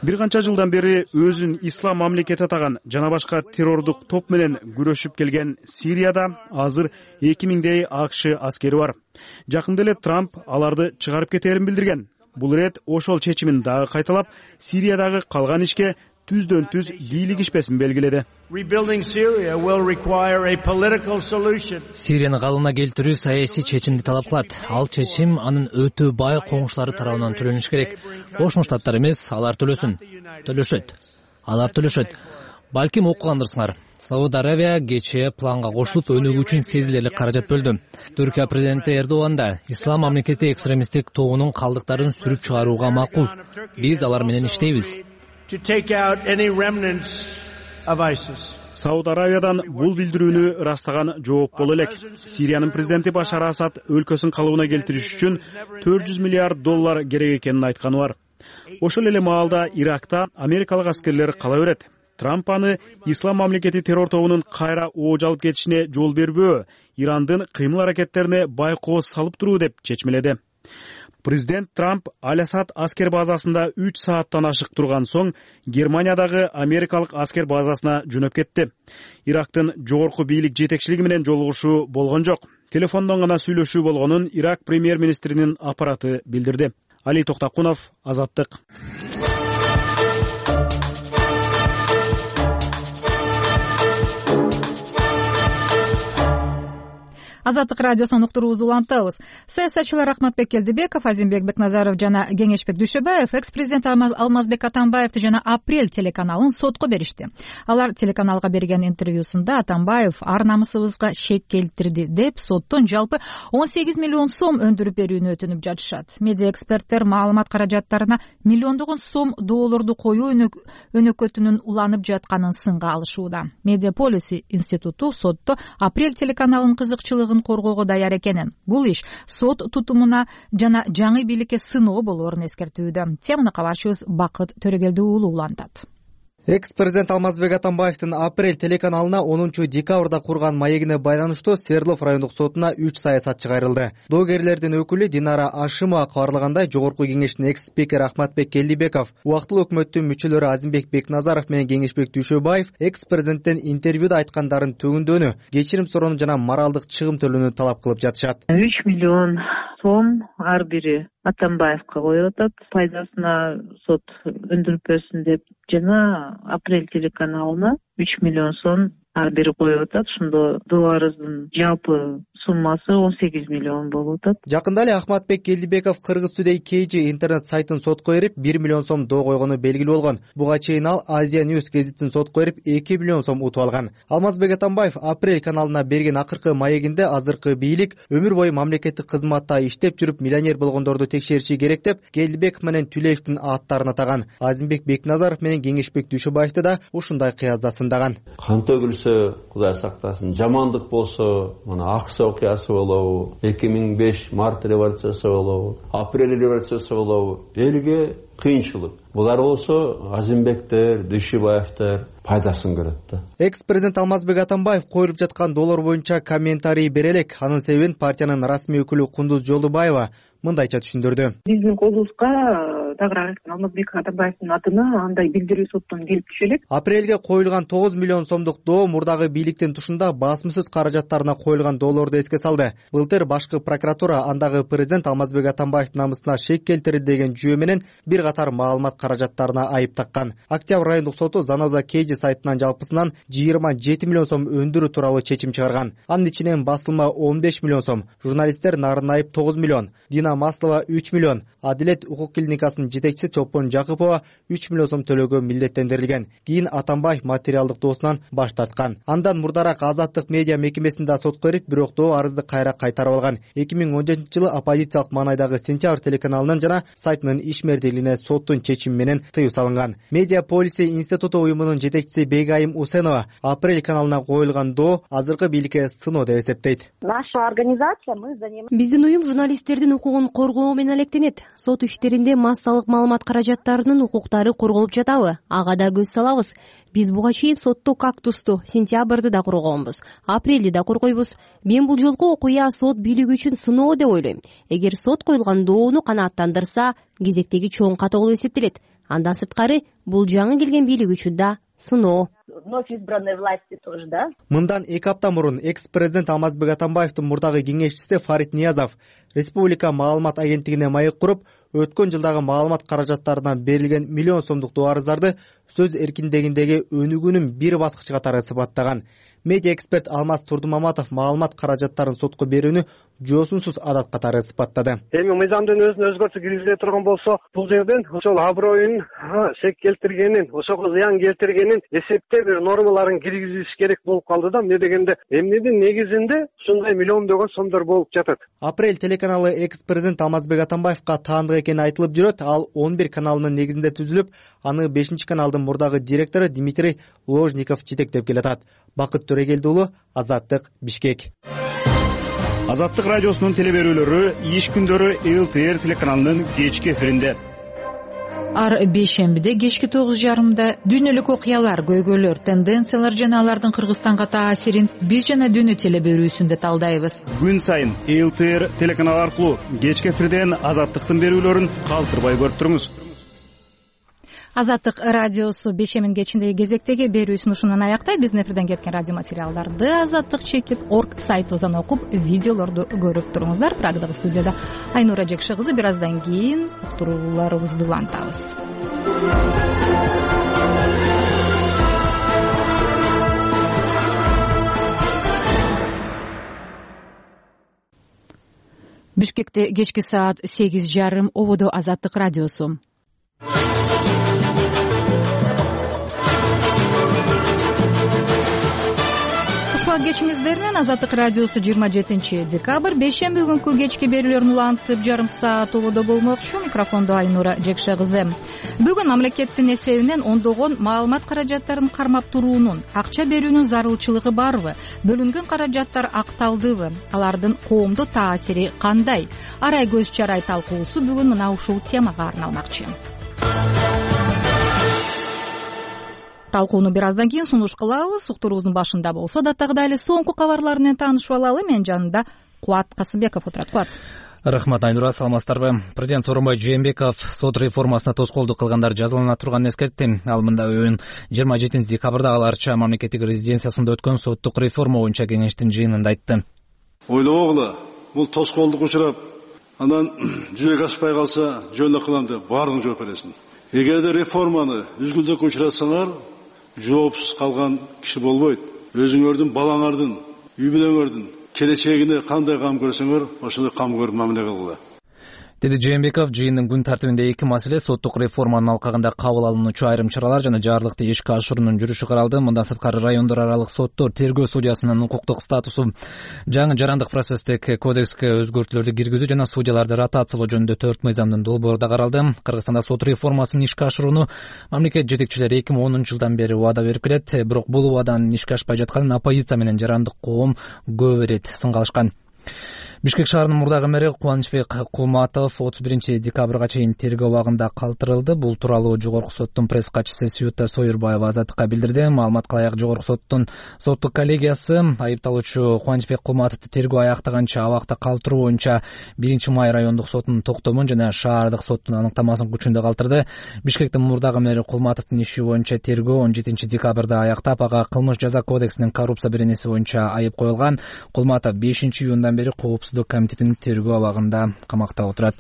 Бир канча жылдан бери өзүн ислам мамлекети атаган жана башка террордук топ менен күрөшүп келген Сирияда азыр эки миңдей АКШ аскери бар. Жакында эле Трамп аларды чыгарып кетерин билдирген. Бул ирет ошол чечимин дагы кайталап, Сириядагы калган ишке түздөн түз бийлигишпесин белгиледи. Сирияны калыбына келтирүү саясий чечимди талап кылат. Ал чечим анын өтө бай коңшулары тарабынан төлөнүш керек. Кошмо Штаттар эмес, алар төлөсүн. Төлөшөт. Алар төлөшөт. Балким окугандырсыңар. Сауд Аравия кечээ планга кошулуп, өнүгүү үчүн сезилерлик каражат бөлдү. Түркия президенти Эрдоган да ислам мамлекети экстремисттик тобунун калдыктарын сүрүп чыгарууга макул. Биз алар менен иштейбиз. Сауд Аравиядан бул билдирүүнү ырастаган жооп боло элек. Сириянын президенти Башар Асад өлкөсүн калыбына келтириш үчүн төрт жүз миллиард доллар керек экенин айтканы бар. Ошол эле маалда Иракта америкалык аскерлер кала берет. Трамп аны ислам мамлекети террор тобунун кайра ооч алып кетишине жол бербөө, Ирандын кыймыл аракеттерине байкоо салып туруу деп чечмеледи. Президент Трамп Аль-Асад аскер базасында үч сааттан ашык турган соң Германиядагы америкалык аскер базасына жөнөп кетти. Ирактын жогорку бийлик жетекчилиги менен жолугушуу болгон жок. Телефондон гана сүйлөшүү болгонун Ирак премьер-министринин аппараты билдирди. Али Токтакунов, Азаттык. Азаттык радиосунун уктуруубузду улантабыз. Саясатчылар Ахматбек Келдибеков, Азимбек Бекназаров жана Кеңешбек Дүйшөбаев экс-президент Алмазбек Атамбаевди жана Апрель телеканалын сотко беришти. Алар телеканалга берген интервьюсунда Атамбаев ар намысыбызга шек келтирди деп соттон жалпы он сегиз миллион сом өндүрүп берүүнү өтүнүп жатышат. Медиа эксперттер маалымат каражаттарына миллиондогон сом доллорду коюу өнөкөтүнүн уланып жатканын сынга алышууда. Медиа Policy институту сотто Апрель телеканалынын кызыкчылыгын коргоого даяр экенин, бул иш сот тутумуна жана жаңы бийликке сыноо болоорун эскертүүдө. Теманы кабарчыбыз Бакыт Төрөгелди уулу улантат. Экс-президент Алмазбек Атамбаевдин Апрель телеканалына онунчу декабрда курган маегине байланыштуу Свердлов райондук сотуна үч саясатчы кайрылды. Доогерлердин өкүлү Динара Ашимова кабарлагандай, жогорку кеңештин экс-спикери Ахматбек Келдибеков, убактылуу өкмөттүн мүчөлөрү Азимбек Бекназаров менен Кеңешбек Дүйшөбаев экс-президенттен интервьюда айткандарын төгүндөнү, кечирим суроону жана моралдык чыгым төлөөнү талап кылып жатышат. үч миллион сом ар бири Атамбаевка коюп атат, пайдасына сот өндүрүп берсин деп, жана Апрель телеканалына үч миллион сом ар бири коюп атат. Ошондо доо арыздын жалпы суммасы он сегиз миллион болуп атат. Жакында эле Ахматбек Келдибеков Кыргыз Today K G интернет сайтын сотко берип, бир миллион сом доо койгону белгилүү болгон. Буга чейин ал Азия News гезитин сотко берип, эки миллион сом утуп алган. Алмазбек Атамбаев Апрель каналына берген акыркы маегинде азыркы бийлик өмүр бою мамлекеттик кызматта иштеп жүрүп миллионер болгондорду текшериши керек деп, Келдибеков менен Түлеевдин аттарын атаган. Азимбек Бекназаров менен Кеңешбек Дүйшөбаевди да ушундай кыязда сындаган. Кан төгүлсө, Кудай сактасын, жамандык болсо, мына Аксы окуясы болобу, эки миң беш март революциясы болобу, Апрель революциясы болобу, элге кыйынчылык. Булар болсо Азимбектер, Дүйшөбаевдер пайдасын көрөт да. Экс-президент Алмазбек Атамбаев коюлуп жаткан доллар боюнча комментарий бере элек. Анын себебин партиянын расмий өкүлү Кундуз Жолдубаева мындайча түшүндүрдү. Биздин колубузга тагыраак Алмазбек Атамбаевдин атына андай билдирүү соттон келип түшө элек. Апрелге коюлган тогуз миллион сомдук доо мурдагы бийликтин тушунда басмысыз каражаттарына коюлган доллорду эске салды. Былтыр башкы прокуратура андагы президент Алмазбек Атамбаевдин намысына шек келтирди деген жүйө менен бир катар маалымат каражаттарына айып таккан. Октябрь райондук соту Заноза Кейджи сайтынан жалпысынан жыйырма жети миллион сом өндүрүү тууралуу чечим чыгарган. Анын ичинен басылма он беш миллион сом, журналисттер Нарын Айып тогуз миллион, Дина Маслова үч миллион, Адилет укук клиникасынын жетекчиси Чолпон Жакыпова үч миллион сом төлөөгө милдеттендирилген. Кийин Атамбаев материалдык доосунан баш тарткан. Андан мурдараак Азаттык медиа мекемесинде сотко берип, бирок доо арызды кайра кайтарып алган. эки миң он жетинчи жылы оппозициялык маанайдагы Сентябрь телеканалынын жана сайтынын ишмердийлигине соттун чечими менен тыюу салынган. Медиа Policy институту уюмунун жетекчиси Бегайым Усенова Апрель каналына коюлган доо азыркы бийликке сыноо деп эсептейт. Наша организация мы занимаемся. Биздин уюм журналисттердин укугун коргоо менен алектенет. Сот иштеринде массалык маалымат каражаттарынын укуктары корголуп жатабы? Ага да көз салабыз. Биз буга чейин сотто кактусту, сентябрды да коргонбуз, апрелди да коргойбуз. Мен бул жолку окуя сот бийлиги үчүн сыноо деп ойлойм. Эгер сот коюлган доону канааттандырса, кезектеги чоң ката болуп эсептелет. Андан сырткары бул жаңы келген бийлик үчүн да сыноо. Вновь избранной власти тоже, да? Мындан эки апта мурун экс-президент Алмазбек Атамбаевдин мурдагы кеңешчиси Фарид Ниязов Республика маалымат агенттигине маек куруп, өткөн жылдагы маалымат каражаттарынан берилген миллион сомдук доо арыздарды сөз эркиндигиндеги өнүгүүнүн бир баскычы катары сыпаттаган. Медиа эксперт Алмаз Турдумаматов маалымат каражаттарын сотко берүүнү жоосунсуз адат катары сыпаттады. Эми мыйзамдын өзүнө өзгөртүү киргизиле турган болсо, бул жерден ошол аброюн шек келтиргенин, ошого зыян келтиргенин эсептеп бир нормаларын киргизиш керек болуп калды да. Эмне дегенде, эмнедин негизинде ушундай миллиондогон сомдор болуп жатат. Апрель телеканалы экс-президент Алмазбек Атамбаевка таандык экени айтылып жүрөт. Ал он бир каналынын негизинде түзүлүп, аны бешинчи каналдын мурдагы директору Дмитрий Ложников жетектеп келатат. Бакыт Төрөгелди уулу, Азаттык, Бишкек. Азаттык радиосунун телеберүүлөрү иш күндөрү эл тэ эр телеканалынын кечки эфиринде. ар бейшембиде кечки тогуз жарымда дүйнөлүк окуялар, көйгөйлөр, тенденциялар жана алардын Кыргызстанга таасирин биз жана дүйнө теле берүүсүндө талдайбыз. Күн сайын эл тэ эр телеканалы аркылуу кечки эфирден Азаттыктын берүүлөрүн калтырбай көрүп туруңуз. Азаттык радиосу бейшембин кечиндеги кезектеги берүүсүн ушунан аяктайт. Биздин эфирден кеткен радио материалдарды азаттык чекит орг сайтыбыздан окуп, видеолорду көрүп туруңуздар. Прагдагы студияда Айнура Жекше кызы. Бир аздан кийин уктурууларыбызды улантабыз. Бишкекте кечки саат сегиз жарым, ободо Азаттык радиосу. Ушул кечиңиздеринен Азаттык радиосу жыйырма жетинчи декабрь бейшемби күнкү кечки берүүлөрүн улантып жарым саат ободо болмокчу. Микрофондо Айнура Жекше кызы. Бүгүн мамлекеттин эсебинен ондогон маалымат каражаттарын кармап туруунун, акча берүүнүн зарылчылыгы барбы? Бөлүнгөн каражаттар акталдыбы? Алардын коомдо таасири кандай? Арай көз чарай талкуусу бүгүн мына ушул темага арналмакчы. Талкууну бир аздан кийин сунуш кылабыз. Уктуруубуздун башында болсо даттагыдай эле соңку кабарлар менен таанышып алалы. Менин жанымда Кубат Касымбеков отурат. Кубат. Рахмат, Айнура, саламатсыздарбы? Президент Сооронбай Жээнбеков сот реформасына тоскоолдук кылгандар жазалана турганын эскертти. Ал мында өйүн жыйырма жетинчи декабрда аларча мамлекеттик резиденциясында өткөн соттук реформа боюнча кеңештин жыйынында айтты. Ойлогула, бул тоскоолдук учурап, анан жүзөгө ашпай калса жөн кылам деп баардыгын жооп бересиң. Эгерде реформаны үзгүлдөккө учуратсаңар, жоопсуз калган киши болбойт. Өзүңөрдүн, балаңардын, үй бүлөңөрдүн келечегине кандай кам көрсөңөр, ошондой кам көрүп мамиле кылгыла. Деди Жээнбеков, жыйындын күн тартибинде эки маселе соттук реформанын алкагында кабыл алынуучу айрым чаралар жана жарлыкты ишке ашыруунун жүрүшү каралды. Мындан сырткары райондор аралык соттор, тергөө судьясынын укуктук статусу, жаңы жарандык процесстик кодекске өзгөртүүлөрдү киргизүү жана судьяларды ротациялоо жөнүндө төрт мыйзамдын долбоору да каралды. Кыргызстанда сот реформасын ишке ашырууну мамлекет жетекчилери эки миң онунчу жылдан бери убада берип келет. Бирок бул убаданын ишке ашпай жатканын оппозиция менен жарандык коом көп ирет сынга алышкан. Бишкек шаарынын мурдагы мэри Кубанычбек Кулматов отуз биринчи декабрга чейин тергөө абагында калтырылды. Бул тууралуу Жогорку соттун пресс катчысы Сюта Сойербаева Азаттыкка билдирди. Маалымат кылайык, Жогорку соттун соттук коллегиясы айыпталуучу Кубанычбек Кулматовду тергөө аяктаганча абакта калтыруу боюнча биринчи май райондук сотунун токтомун жана шаардык соттун аныктамасын күчүндө калтырды. Бишкектин мурдагы мэри Кулматовдун иши боюнча тергөө он жетинчи декабрда аяктап, ага кылмыш жаза кодексинин коррупция беренеси боюнча айып коюлган. Кулматов бешинчи июндан бери коопсуздук комитетинин тергөө абагында камакта отурат.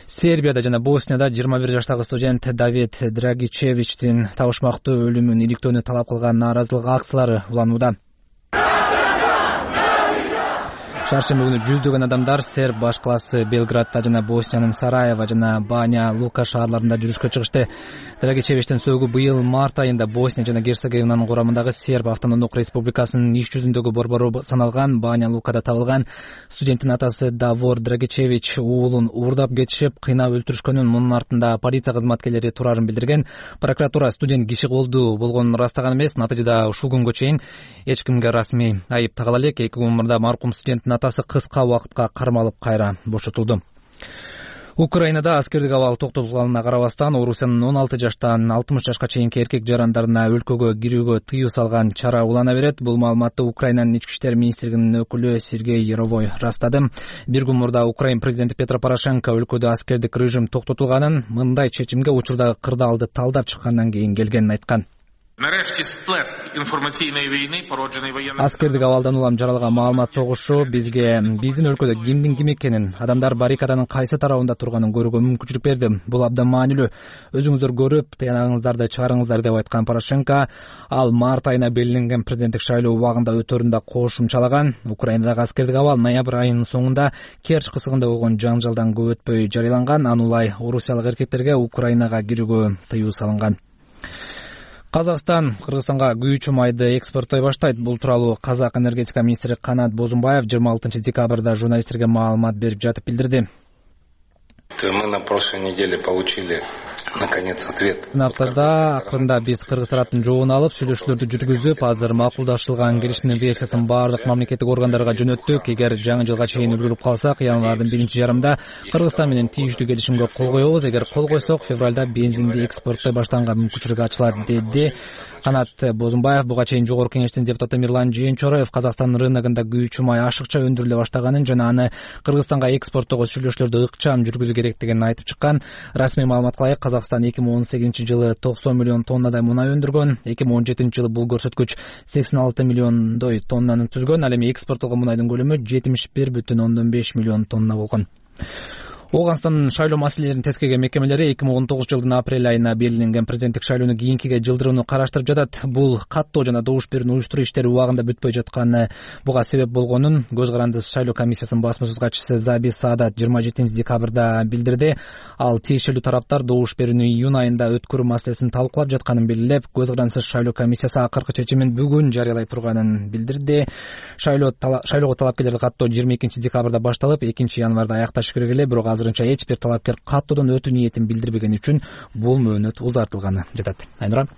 Сербияда жана Боснияда жыйырма бир жаштагы студент Давид Драгичевичтин табышмактуу өлүмүн иликтөөнү талап кылган нааразылык акциялары уланууда. Чаршемби күнү жүздөгөн адамдар серб баш калаасы Белградда жана Босниянын Сараево жана Баня Лука шаарларында жүрүшкө чыгышты. Драгичевичтин сөөгү быйыл март айында Босния жана Герцеговинанын курамындагы Серб автономдук республикасынын иш жүзүндөгү борбору саналган Баня Лукада табылган. Студенттин атасы Давор Драгичевич уулун уурдап кетишип, кыйнап өлтүрүшкөнүн, мунун артында полиция кызматкерлери турарын билдирген. Прокуратура студент киши колдуу болгонун ырастаган эмес. Натыйжада ушул күнгө чейин эч кимге расмий айып тагыла элек. Эки күн мурда маркум студенттин атасы кыска убакытка кармалып кайра бошотулду. Украинада аскердик абал токтотулганына карабастан, Орусиянын он алты жаштан алтымыш жашка чейинки эркек жарандарына өлкөгө кирүүгө тыюу салган чара улана берет. Бул маалыматты Украинанын ички иштер министрлигинин өкүлү Сергей Яровой растады. Бир күн мурда Украин президенти Петро Порошенко өлкөдө аскердик режим токтотулганын, мындай чечимге учурдагы кырдаалды талдап чыккандан кийин келгенин айткан. Аскердик абалдан улам жаралган маалымат согушу бизге биздин өлкөдө кимдин ким экенин, адамдар баррикаданын кайсы тарабында турганын көрүүгө мүмкүнчүлүк берди. Бул абдан маанилүү. Өзүңүздөр көрүп, тыянагыңыздарды чыгарыңыздар деп айткан Порошенко. Ал март айына белгиленген президенттик шайлоо убагында өтөрүндө кошумчалаган. Украинадагы аскердик абал ноябрь айынын соңунда Керчь кысыгында болгон жаңжалдан көп өтпөй жарыяланган. Анулай орусиялык эркектерге Украинага кирүүгө тыюу салынган. Казакстан Кыргызстанга күйүүчү майды экспорттой баштайт. Бул тууралуу Казак энергетика министри Канат Бозумбаев жыйырма алтынчы декабрда журналисттерге маалымат берип жатып билдирди. Мы на прошлой неделе получили наконец ответ. Аптада акырында биз кыргыз тараптын жообун алып, сүйлөшүүлөрдү жүргүзүп, азыр макулдашылган келишимдин версиясын баардык мамлекеттик органдарга жөнөттүк. Эгер жаңы жылга чейин үлгүрүп калсак, январдын биринчи жарымында Кыргызстан менен тийиштүү келишимге кол коебуз. Эгер кол койсок, февралда бензинди экспорттой баштаганга мүмкүнчүлүк ачылат, деди Канат Бозумбаев. Буга чейин Жогорку Кеңештин депутаты Мирлан Жээнчороев Казакстан рыногунда күйүүчү май ашыкча өндүрүлө баштаганын жана аны Кыргызстанга экспорттоого сүйлөшүүлөрдү ыкчам жүргүзүү керектигин айтып чыккан. Расмий маалыматка ылайык, Казакстан эки миң он сегизинчи жылы токсон миллион тоннадай мунай өндүргөн. эки миң он жетинчи жылы бул көрсөткүч сексен алты миллиондой тоннаны түзгөн. Ал эми экспорттолгон мунайдын көлөмү жетимиш бир бүтүн ондон беш миллион тонна болгон. Ооганстандын шайлоо маселелерин тескерген мекемелери эки миң он тогузунчу жылдын апрель айына белгиленген президенттик шайлоону кийинкиге жылдырууну караштырып жатат. Бул каттоо жана добуш берүүнү уюштуруу иштери убагында бүтпөй жатканы буга себеп болгонун Көз карандысыз шайлоо комиссиясынын басма сөз катчысы Заби Саадат жыйырма жетинчи декабрда билдирди. Ал тиешелүү тараптар добуш берүүнү июнь айында өткөрүү маселесин талкуулап жатканын белгилеп, Көз карандысыз шайлоо комиссиясы акыркы чечимин бүгүн жарыялай турганын билдирди. Шайлоо шайлоого талапкерлерди каттоо жыйырма экинчи декабрда башталып, экинчи январда аякташы керек эле, бирок азырынча эч бир талапкер каттоодон өтүү ниетин билдирбегени үчүн бул мөөнөт узартылганы жатат. Айнура.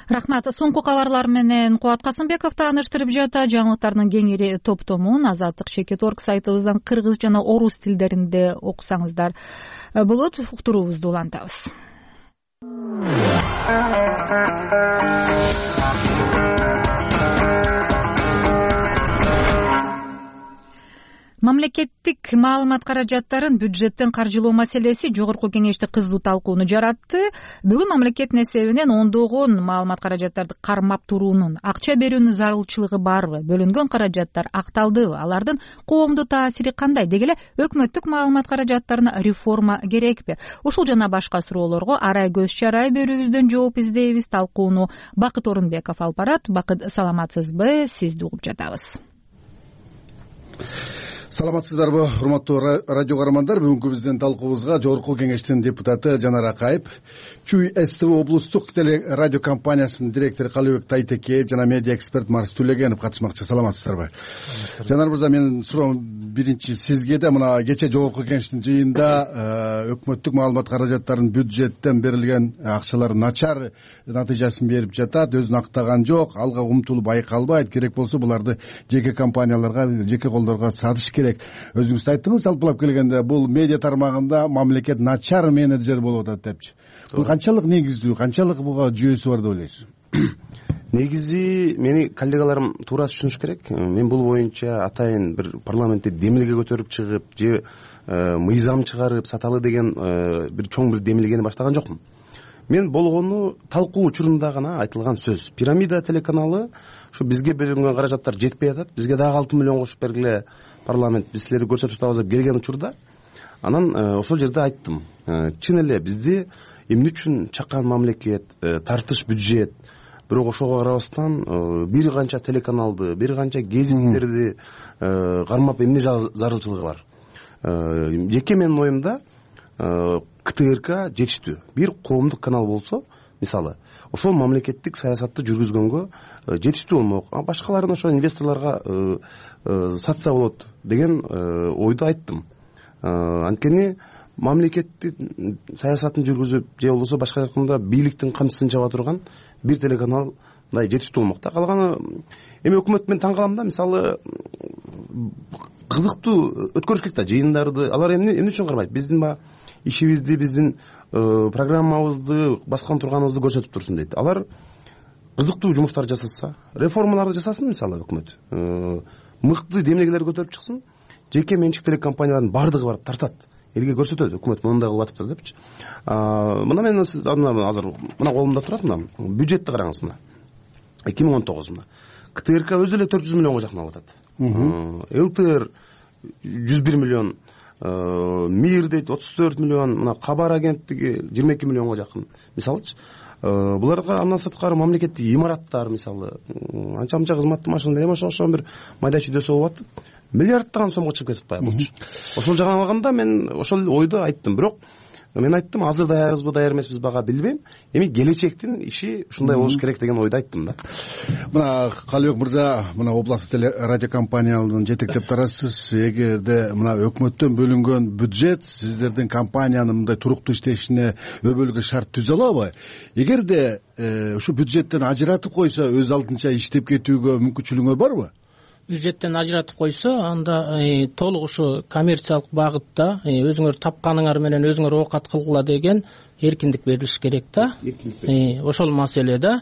Рахмат. Соңку кабарлар менен Кубат Касымбеков тааныштырып жатат. Жаңылыктардын кеңири топтомун Азаттык чекит точка орг сайтыбыздан кыргыз жана орус тилдеринде окусаңыздар болот. Уктуруубузду улантабыз. Мамлекеттик маалымат каражаттарын бюджеттен каржылоо маселеси Жогорку Кеңеште кызуу талкууну жаратты. Бүгүн мамлекеттин эсебинен ондогон маалымат каражаттарды кармап туруунун, акча берүүнүн зарылчылыгы барбы, бөлүнгөн каражаттар акталдыбы, алардын коомдо таасири кандай, дегеле өкмөттүк маалымат каражаттарына реформа керекпи? Ушул жана башка суроолорго арай көз чарай берүүбүздөн жооп издейбиз. Талкууну Бакыт Орунбеков алып барат. Бакыт, саламатсызбы? Сизди угуп жатабыз. Саламатсыздарбы, урматтуу радио каармандар? Бүгүнкү биздин талкуубузга Жогорку Кеңештин депутаты Жанар Акаев, Чүй СТВ облустук теле радио компаниясынын директору Калыбек Тайтекеев жана медиа эксперт Марс Түлегенов катышмакчы. Саламатсыздарбы? Жанар мырза, менин суроом биринчи сизге да. Мына кечээ Жогорку Кеңештин жыйында өкмөттүк маалымат каражаттарынын бюджеттен берилген акчалар начар натыйжасын берип жатат, өзүн актаган жок, алга умтулуу байкалбайт. Керек болсо буларды жеке компанияларга, жеке колдорго сатыш керек. Өзүңүз айттыңыз, жалпылап келгенде бул медиа тармагында мамлекет начар менеджер болуп атат депчи. Бул канчалык негиздүү, канчалык буга жүйөсү бар деп ойлойсуз? Негизи мени коллегаларым туура түшүнүш керек. Мен бул боюнча атайын бир парламентте демилге көтөрүп чыгып, же мыйзам чыгарып саталы деген бир чоң бир демилгени баштаган жокмун. Мен болгону талкуу учурунда гана айтылган сөз. Пирамида телеканалы ушу бизге берилген каражаттар жетпей атат. Бизге дагы алты миллион кошуп бергиле парламент, биз силерди көрсөтүп атабыз деп келген учурда, анан ошол жерде айттым. Чын эле бизди эмне үчүн чаккан мамлекет, тартыш бюджет, бирок ошого карабастан бир канча телеканалды, бир канча гезиттерди кармап эмне зарылчылыгы бар? Жеке менин оюмда КТРК жетиштүү. Бир коомдук канал болсо, мисалы, ошол мамлекеттик саясатты жүргүзгөнгө жетиштүү болмок. А башкаларын ошо инвесторлорго сатса болот деген ойду айттым. Анткени мамлекеттин саясатын жүргүзүп, же болбосо башка жакында бийликтин камчысын чаба турган бир телеканал мындай жетиштүү болмок да. Калганы эми өкмөт мен таң калам да, мисалы кызыктуу өткөрүш керек да жыйындарды. Алар эмне эмне үчүн кармайт? Биздин ба ишибизди, биздин программабызды, баскан турганыбызды көрсөтүп турсун дейт. Алар кызыктуу жумуштар жасаса, реформаларды жасасын, мисалы өкмөт. Мыкты демилгелер көтөрүп чыксын, жеке менчик телекомпаниялардын бардыгы барып тартат. Элге көрсөтөт, өкмөт мындай кылып атыптыр депчи. Мына мен азыр мына колумда турат, мына бюджетти караңыз мына. эки миң он тогуз мына. КТРК өзү эле төрт жүз миллионго жакын алып атат. ЛТР жүз бир миллион, МИР дейт отуз төрт миллион, мына Кабар агенттиги жыйырма эки миллионго жакын. Мисалычы, буларга андан сырткары мамлекеттик имараттар, мисалы, анча-мынча кызматтуу машиналар, эми ошо бир майда чүйдөсү болуп атып, миллиардтаган сомго чыгып кетип атпайбы булчу. Ошол жагынан алганда мен ошол ойду айттым. Бирок мен айттым азыр даярбызбы даяр эмеспиз бага билбейм, эми келечектин иши ушундай болуш керек деген ойду айттым да. Мына Калыбек мырза, мына областтык теле радио компаниянын жетектеп турасыз. Эгерде мына өкмөттөн бөлүнгөн бюджет сиздердин компаниянын мындай туруктуу иштешине өбөлгө шарт түзө алабы? Эгерде ушу бюджеттен ажыратып койсо өз алдынча иштеп кетүүгө мүмкүнчүлүгүңөр барбы? Бюджеттен ажыратып койсо анда толук ушу коммерциялык багытта өзүңөр тапканыңар менен өзүңөр оокат кылгыла деген эркиндик берилиш керек да. Ошол маселе да.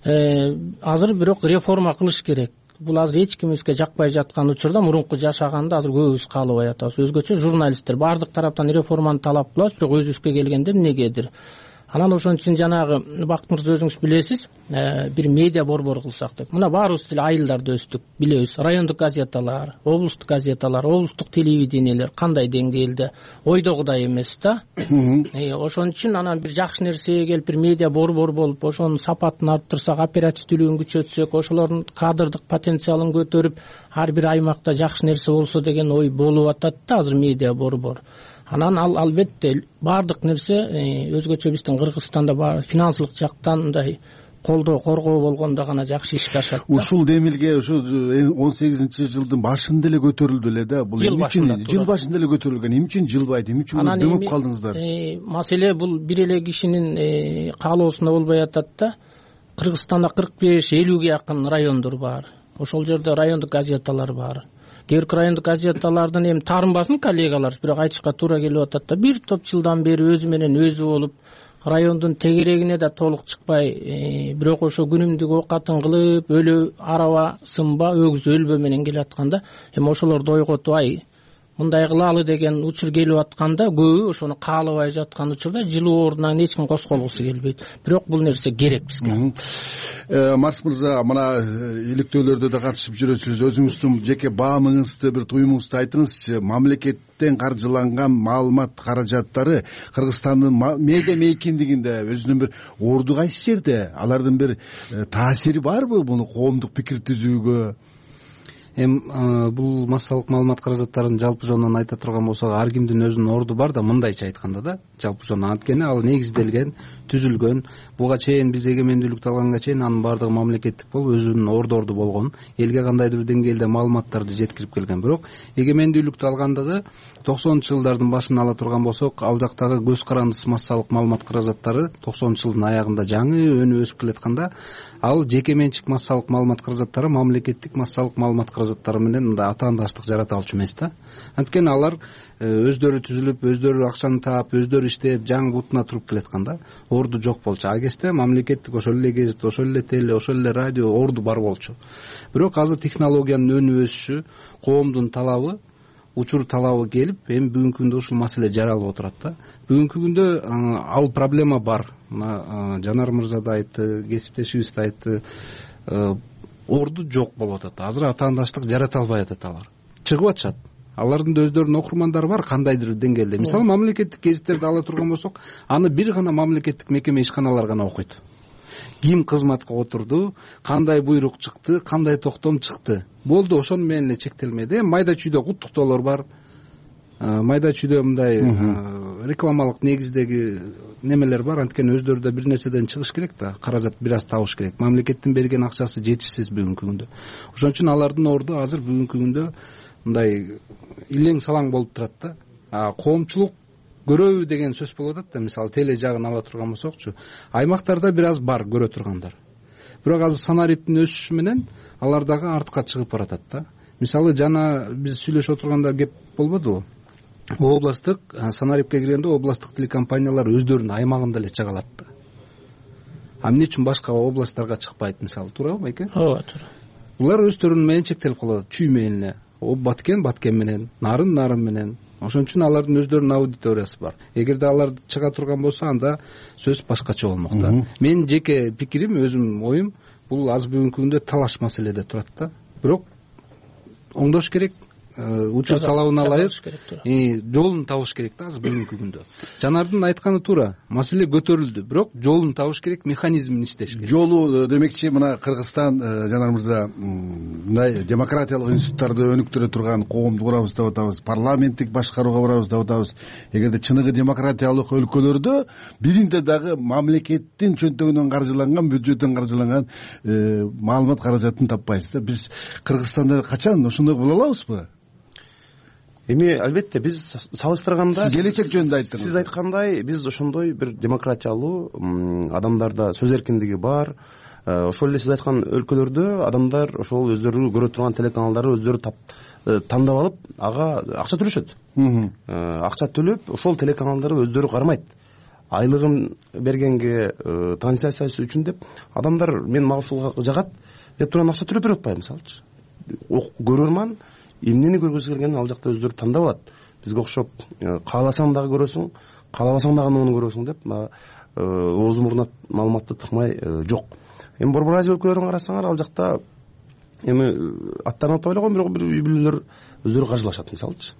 Азыр бирок реформа кылыш керек. Бул азыр эч кимибизге жакпай жаткан учурда мурунку жашаганды азыр көбүбүз каалабай атабыз. Өзгөчө журналисттер баардык тараптан реформаны талап кылабыз, бирок өзүбүзгө келгенде эмнегедир. Анан ошон үчүн жанагы Бакыт мырза өзүңүз билесиз, бир медиа борбор кылсак деп. Мына баарыбыз деле айылдарда өстүк, билебиз. Райондук газеталар, облустук газеталар, облустук телевидениелер кандай деңгээлде ойдогудай эмес да. Ошон үчүн анан бир жакшы нерсеге келип бир медиа борбор болуп, ошонун сапатын арттырсак, оперативдүүлүгүн күчөтсөк, ошолордун кадрдык потенциалын көтөрүп, ар бир аймакта жакшы нерсе болсо деген ой болуп атат да азыр медиа борбор. Анан ал албетте баардык нерсе өзгөчө биздин Кыргызстанда бар финансылык жактан мындай колдоо, коргоо болгондо гана жакшы ишке ашат. Ушул демилге ушу он сегизинчи жылдын башында эле көтөрүлдү эле да. Бул эмне үчүн жыл башында эле көтөрүлгөн? Эмне үчүн жылбайт? Эмне үчүн дөмөп калдыңыздар? Маселе бул бир эле кишинин каалоосунда болбой атат да. Кыргызстанда кырк беш элүүгө жакын райондор бар. Ошол жерде райондук газеталар бар. Кээ бир райондук газеталардын эми таарынбасын коллегалар, бирок айтышка туура келип атат да. Бир топ жылдан бери өзү менен өзү болуп, райондун тегерегине да толук чыкпай, бирок ошо күнүмдүк оокатын кылып, өлө араба сынба, өгүз өлбө менен келатканда, эми ошолорду ойготуп, ай мындай кылалы деген учур келип атканда, көбү ошону каалабай жаткан учурда жылуу ордунан эч ким косколгусу келбейт. Бирок бул нерсе керек бизге. Марс мырза, мына иликтөөлөрдө да катышып жүрөсүз. Өзүңүздүн жеке баамыңызды, бир туюмуңузду айтыңызчы. Мамлекеттен каржыланган маалымат каражаттары Кыргызстандын медиа мейкиндигинде өзүнүн бир орду кайсы жерде? Алардын бир таасири барбы муну коомдук пикир түзүүгө? Эми бул массалык маалымат каражаттарын жалпы жонунан айта турган болсок, ар кимдин өзүнүн орду бар да, мындайча айтканда да, жалпы жонунан анткени ал негизделген, түзүлгөн. Буга чейин биз эгемендүүлүктү алганга чейин анын баардыгы мамлекеттик болуп, өзүнүн ордорду болгон, элге кандайдыр деңгээлде маалыматтарды жеткирип келген. Бирок эгемендүүлүктү алгандагы токсонунчу жылдардын башын ала турган болсок, ал жактагы көз карандысыз массалык маалымат каражаттары токсонунчу жылдын аягында жаңы өнүп өсүп келатканда, ал жеке менчик массалык маалымат каражаттары мамлекеттик массалык маалымат каражаттары менен мындай атаандаштык жарата алчу эмес да. Анткени алар өздөрү түзүлүп, өздөрү акчаны таап, өздөрү иштеп, жаңы бутуна туруп келатканда орду жок болчу. А кезде мамлекеттик ошол эле гезит, ошол эле теле, ошол эле радио орду бар болчу. Бирок азыр технологиянын өнүп өсүшү, коомдун талабы, учур талабы келип, эми бүгүнкү күндө ушул маселе жаралып отурат да. Бүгүнкү күндө ал проблема бар. Мына Жанар мырза да айтты, кесиптешибиз да айтты. Орду жок болуп атат. Азыр атаандаштык жарата албай атат алар. Чыгып атышат. Алардын да өздөрүнүн окурмандары бар кандайдыр деңгээлде. Мисалы, мамлекеттик гезиттерди ала турган болсок, аны бир гана мамлекеттик мекеме ишканалар гана окуйт. Ким кызматка отурду, кандай буйрук чыкты, кандай токтом чыкты. Болду, ошону менен эле чектелмеди. Майда чүйдө куттуктоолор бар. Майда чүйдө мындай рекламалык негиздеги немелер бар. Анткени өздөрү да бир нерседен чыгыш керек да, каражат бир аз табыш керек. Мамлекеттин берген акчасы жетишсиз бүгүнкү күндө. Ошон үчүн алардын орду азыр бүгүнкү күндө мындай илең салаң болуп турат да. А коомчулук көрөбү деген сөз болуп атат да. Мисалы, теле жагын ала турган болсокчу, аймактарда бир аз бар көрө тургандар. Бирок азыр санариптин өсүшү менен алар дагы артка чыгып баратат да. Мисалы, жана биз сүйлөшүп отурганда кеп болбодубу? Областтык санарипке киргенде областтык телекомпаниялар өздөрүнүн аймагында эле чыга алат да. А эмне үчүн башка областтарга чыкпайт, мисалы, туурабы байке? Ооба, туура. Булар өздөрүнүн менен чектелип калат, чүй менен эле. Баткен баткен менен, нарын нарын менен. Ошон үчүн алардын өздөрүнүн аудиториясы бар. Эгерде алар чыга турган болсо, анда сөз башкача болмок да. Менин жеке пикирим, өзүмдүн оюм, бул аз бүгүнкү күндө талаш маселеде турат да. Бирок оңдош керек. учур талабына ылайык жолун табыш керек да азыр бүгүнкү күндө. Жанардын айтканы туура, маселе көтөрүлдү, бирок жолун табыш керек, механизмин иштеш керек. Жолу демекчи, мына Кыргызстан Жанар мырза мындай демократиялык институттарды өнүктүрө турган коомду курабыз деп атабыз, парламенттик башкарууга барабыз деп атабыз. Эгерде чыныгы демократиялык өлкөлөрдө биринде дагы мамлекеттин чөнтөгүнөн каржыланган, бюджеттен каржыланган маалымат каражатын таппайбыз да. Биз Кыргызстанда качан ошондой боло алабызбы? Эми албетте биз салыштырганда сиз келечек жөнүндө айттыңыз. Сиз айткандай биз ошондой бир демократиялуу, адамдарда сөз эркиндиги бар. Ошол эле сиз айткан өлкөлөрдө адамдар ошол өздөрү көрө турган телеканалдарды өздөрү тандап алып, ага акча төлөшөт. Акча төлөп, ошол телеканалдарды өздөрү кармайт. Айлыгын бергенге, трансляциясы үчүн деп адамдар мен мага ушул жагат деп турган акча төлөп берип атпайбы, мисалычы. Көрөрман эмнени көргүсү келгенин ал жакта өздөрү тандап алат. Бизге окшоп кааласаң дагы көрөсүң, каалабасаң дагы муну көрөсүң деп оозу мурдуна маалыматты тыкмай жок. Эми Борбор Азия өлкөлөрүн карасаңар, ал жакта эми аттарын атай эле койм, бирок бир үй бүлөлөр өздөрү каржылашат, мисалычы.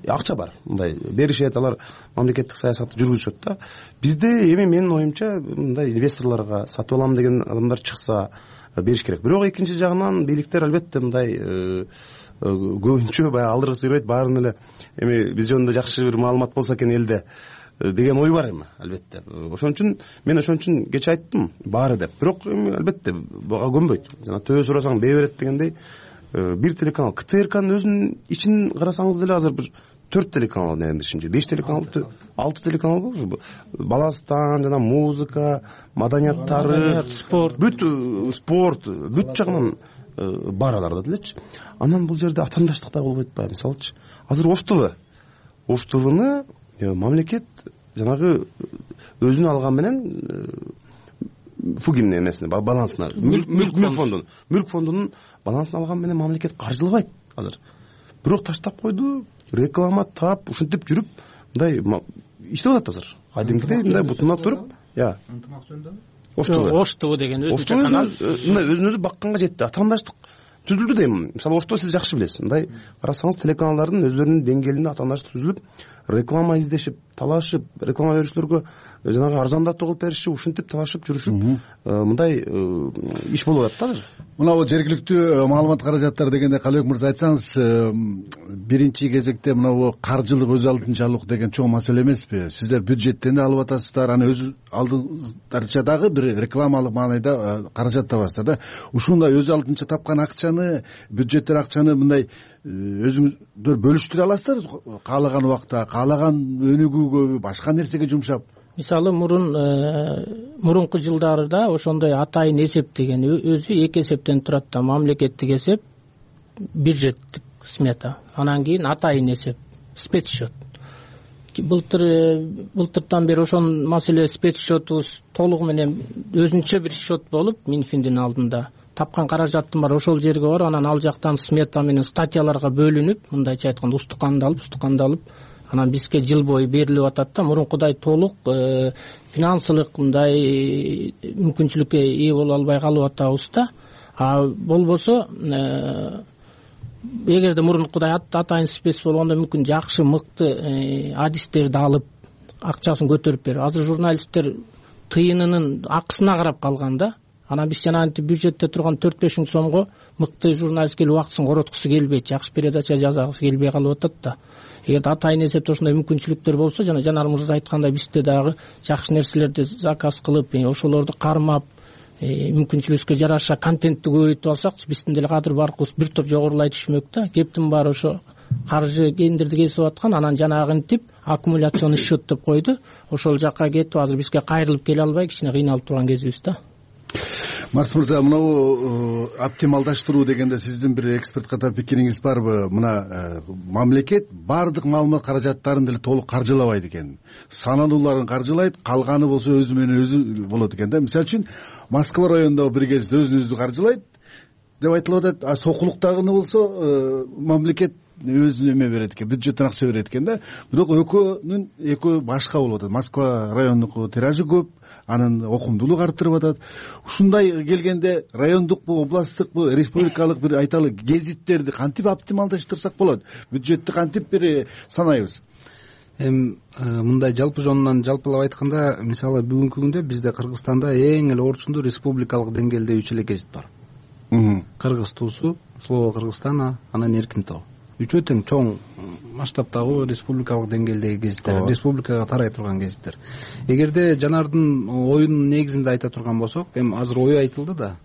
Акча бар, мындай беришет, алар мамлекеттик саясатты жүргүзүшөт да. Бизде эми менин оюмча мындай инвесторлорго сатып алам деген адамдар чыкса бериш керек. Бирок экинчи жагынан бийликтер албетте мындай көбүнчө баягы алдыргысы келбейт, баарын эле эми биз жөнүндө жакшы бир маалымат болсо экен элде деген ой бар эми албетте. Ошон үчүн мен ошон үчүн кече айттым баары деп. Бирок эми албетте буга көнбөйт. Жана төбө сурасаң бээ берет дегендей бир телеканал, КТРКнын өзүнүн ичин карасаңыз деле азыр бир төрт телеканал мененишимче, беш телеканал, алты телеканал болчу. Баластан жана музыка, маданияттары, спорт, бүт спорт, бүт жагынан бар аларда делечи. Анан бул жерде атаандаштык да болбойт атпайбы, мисалычы. Азыр Ош ТВ, Ош ТВны мамлекет жанагы өзүнө алган менен Фугин эмесине, балансына, мүлк фондунун, мүлк фондунун балансына алган менен мамлекет каржылабайт азыр. Бирок таштап койду, реклама тап, ушинтип жүрүп, мындай иштеп атат азыр. Кадимкидей мындай бутуна туруп, я. Ынтымак жөнүндө? Ош ТВ. Ош ТВ деген өзүнчө канал. Мындай өзүн өзү бакканга жетти. Атаандаштык түзүлдү дейм. Мисалы Ош ТВ сиз жакшы билесиз. Мындай карасаңыз телеканалдардын өздөрүнүн деңгээлинде атаандаштык түзүлүп, реклама издешип, талашып, реклама берүүчүлөргө жанагы арзандатуу кылып беришип, ушинтип талашып жүрүшүп, мындай иш болуп атат да азыр. Мына бул жергиликтүү маалымат каражаттары дегенде Калыбек мырза айтсаңыз, биринчи кезекте мына бул каржылык өз алдынча алуу деген чоң маселе эмеспи? Сиздер бюджеттен да алып атасыздар, аны өз алдыңыздарча дагы бир рекламалык маанайда каражат табасыздар да. Ушундай өз алдынча тапкан акчаны, бюджеттен акчаны мындай өзүңүздөр бөлүштүрө аласыздар каалаган убакта, каалаган өнүгүүгө, башка нерсеге жумшап? Мисалы мурун мурунку жылдарда ошондой атайын эсеп деген өзү эки эсептен турат да, мамлекеттик эсеп, бюджеттик смета, анан кийин атайын эсеп, спецсчет. Былтыр былтыртан бери ошон маселе спецсчетубуз толугу менен өзүнчө бир счет болуп Минфиндин алдында тапкан каражаттын бар ошол жерге бар, анан ал жактан смета менен статьяларга бөлүнүп, мындайча айтканда устукандалып, устукандалып, анан бизге жыл бою берилип атат да. Мурункудай толук финансылык мындай мүмкүнчүлүккө ээ боло албай калып атабыз да. А болбосо эгерде мурункудай атайын спец болгондо мүмкүн жакшы мыкты адистерди алып акчасын көтөрүп берип, азыр журналисттер тыйынынын акысына карап калган да. Анан биз жанагынтип бюджетте турган төрт беш миң сомго мыкты журналист келип убактысын короткусу келбейт, жакшы передача жасагысы келбей калып атат да. Эгерде атайын эсепте ошондой мүмкүнчүлүктөр болсо, жана Жанар мырза айткандай бизде дагы жакшы нерселерди заказ кылып, ошолорду кармап, мүмкүнчүлүгүбүзгө жараша контентти көбөйтүп алсак, биздин деле кадыр баркыбыз бир топ жогорулай түшмөк да. Кептин баары ошо каржы кендирди кесип аткан, анан жанагынтип аккумуляционный счет деп койду. Ошол жакка кетип, азыр бизге кайрылып келе албай кичине кыйналып турган кезибиз да. Марс мырза, мына оптималдаштыруу дегенде сиздин бир эксперт катары пикириңиз барбы? Мына мамлекет баардык маалымат каражаттарын деле толук каржылабайт экен. Саналууларын каржылайт, калганы болсо өзү менен өзү болот экен да. Мисалы үчүн Москва районундагы бир кезде өзүн өзү каржылайт деп айтылып атат. А Сокулуктагыны болсо мамлекет өзү эме берет экен, бюджеттен акча берет экен да. Бирок экөөнүн экөө башка болуп атат. Москва райондук тиражы көп, анын окумдуулугу артырып атат. Ушундай келгенде райондукпу, областтыкпу, республикалык бир айталы гезиттерди кантип оптималдаштырсак болот? Бюджетти кантип бир санайбыз? Эми мындай жалпы жонунан жалпылап айтканда, мисалы бүгүнкү күндө бизде Кыргызстанда эң эле орчундуу республикалык деңгээлде үч эле гезит бар. Кыргыз туусу, Слово Кыргызстан, анан Эркин тоо. Үчөө тең чоң масштабтагы республикалык деңгээлдеги гезиттер, республикага тарай турган гезиттер. Эгерде жанардын оюнун негизинде айта турган болсок, эми азыр ою айтылды да.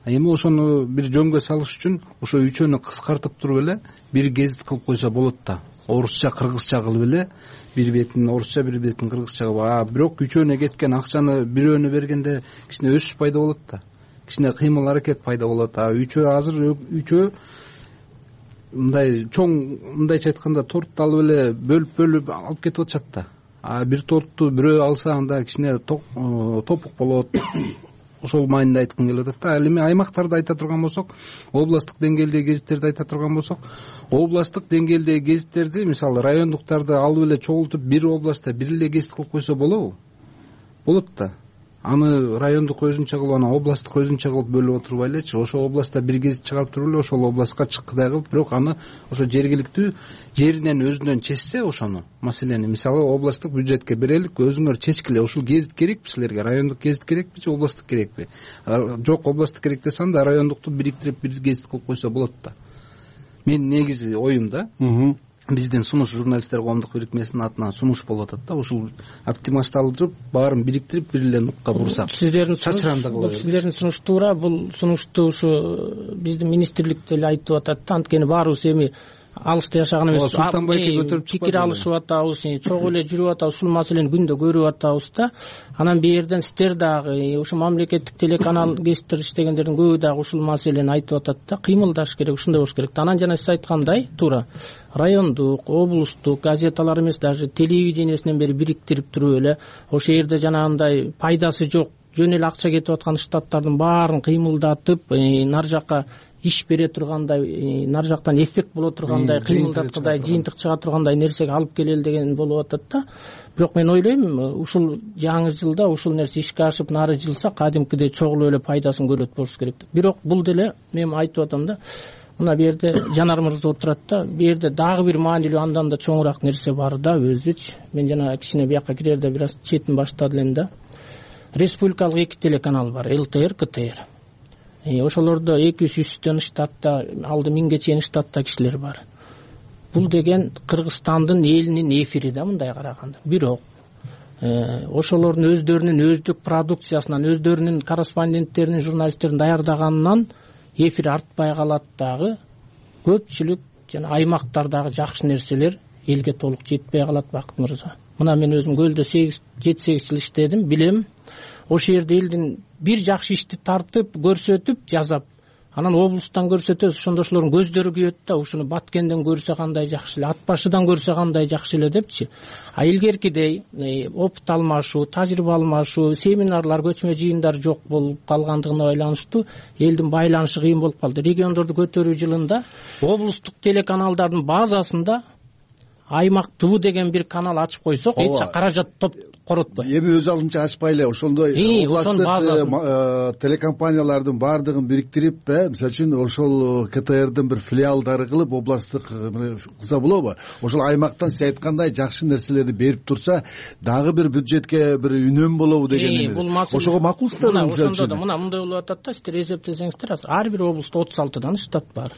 Эми ошону бир жөнгө салыш үчүн ошо үчөөнү кыскартып туруп эле бир гезит кылып койсо болот да. Орусча, кыргызча кылып эле бир бетин орусча, бир бетин кыргызча кылып. А бирок үчөөнө кеткен акчаны бирөөнө бергенде кичине өсүш пайда болот да. Кичине кыймыл аракет пайда болот. А үчөө азыр үчөө мындай чоң, мындайча айтканда торту алып эле бөлүп-бөлүп алып кетип атышат да. А бир торту бирөө алса анда кичине топук болот. Ошол маанинде айткым келип атат да. Ал эми аймактарды айта турган болсок, областтык деңгээлдеги гезиттерди айта турган болсок, областтык деңгээлдеги гезиттерди, мисалы райондуктарды алып эле чогултуп бир областта бир эле гезит кылып койсо болобу? Болот да. Аны райондук өзүнчө кылып, анан областтык өзүнчө кылып бөлүп отурбай элечи, ошол областта бир гезит чыгарып туруп эле ошол областка чыккыдай кылып, бирок аны ошо жергиликтүү жеринен өзүнөн чечсе ошону, маселени, мисалы областтык бюджетке берелик, өзүңөр чечкиле, ушул гезит керекпи силерге, райондук гезит керекпи же областтык керекпи? Жок, областтык керек десе анда райондукту бириктирип бир гезит кылып койсо болот да. Мен негизи оюм да. Биздин Сунуш журналисттер коомдук бирикмесинин атынан сунуш болуп атат да. Ушул оптималдаштырып, баарын бириктирип бир эле нукка бурсак. Сиздердин чачырандыгы. Сиздердин сунуш туура, бул сунушту ушу биздин министрлик деле айтып атат да. Анткени баарыбыз эми алыста жашаган эмес. Султанбайке көтөрүп пикир алышып атабыз, чогуу эле жүрүп атабыз, ушул маселени күндө көрүп атабыз да. Анан бу жерден сиздер дагы ушу мамлекеттик телеканал гезиттер иштегендердин көбү дагы ушул маселени айтып атат да. Кыймылдаш керек, ушундай болуш керек. Анан жана сиз айткандай, туура райондук, облустук газеталар эмес, даже телевидениесинен бери бириктирип туруп эле ошол жерде жанагындай пайдасы жок, жөн эле акча кетип аткан штаттардын баарын кыймылдатып, нар жакка иш бере тургандай, нар жактан эффект боло тургандай, кыймылдаткандай, жыйынтык чыга тургандай нерсеге алып келели деген болуп атат да. Бирок мен ойлойм, ушул жаңы жылда ушул нерсе ишке ашып нары жылса, кадимкидей чогулуп эле пайдасын көрөт болуш керек. Бирок бул деле мен айтып атам да, мына бу жерде Жанар мырза отурат да, бу жерде дагы бир маанилүү андан да чоңураак нерсе бар да өзүчү. Мен жана кичине бияка кирерде бир аз четин баштады элем да. Республикалык эки телеканал бар, эл тэ эр, ка тэ эр. Ошолордо эки жүз үчтөн штатта, алды миңге чейин штатта кишилер бар. Бул деген Кыргызстандын элинин эфири да мындай караганда. Бирок ошолордун өздөрүнүн өздүк продукциясынан, өздөрүнүн корреспонденттеринин, журналисттерин даярдаганынан эфир артпай калат дагы. Көпчүлүк жана аймактардагы жакшы нерселер элге толук жетпей калат, Бакыт мырза. Мына мен өзүм Көлдө жети сегиз жыл иштедим, билем. Ошол жерде элдин бир жакшы ишти тартып, көрсөтүп, жазап, анан облустан көрсөтөбүз, ошондо ошолордун көздөрү күйөт да, ушуну Баткенден көрсө кандай жакшы эле, Ат башыдан көрсө кандай жакшы эле депчи. А илгеркидей опыт алмашуу, тажрыйба алмашуу, семинарлар, көчмө жыйындар жок болуп калгандыгына байланыштуу элдин байланышы кыйын болуп калды. Региондорду көтөрүү жылында облустук телеканалдардын базасында аймак ТВ деген бир канал ачып койсок, эч каражат топ коротпойт. Эми өз алдынча ачпайлы, ошондой областтык телекомпаниялардын баардыгын бириктирип, мисалы үчүн ошол ка тэ эрдин бир филиалдары кылып областтык кылса болобу? Ошол аймактан сиз айткандай жакшы нерселерди берип турса, дагы бир бюджетке бир үнөм болобу деген. Ошого макулсуздарбы? Ошондо да мына мындай болуп атат да, сиздер эсептесеңиздер, ар бир облустта отуз алтыдан штат бар.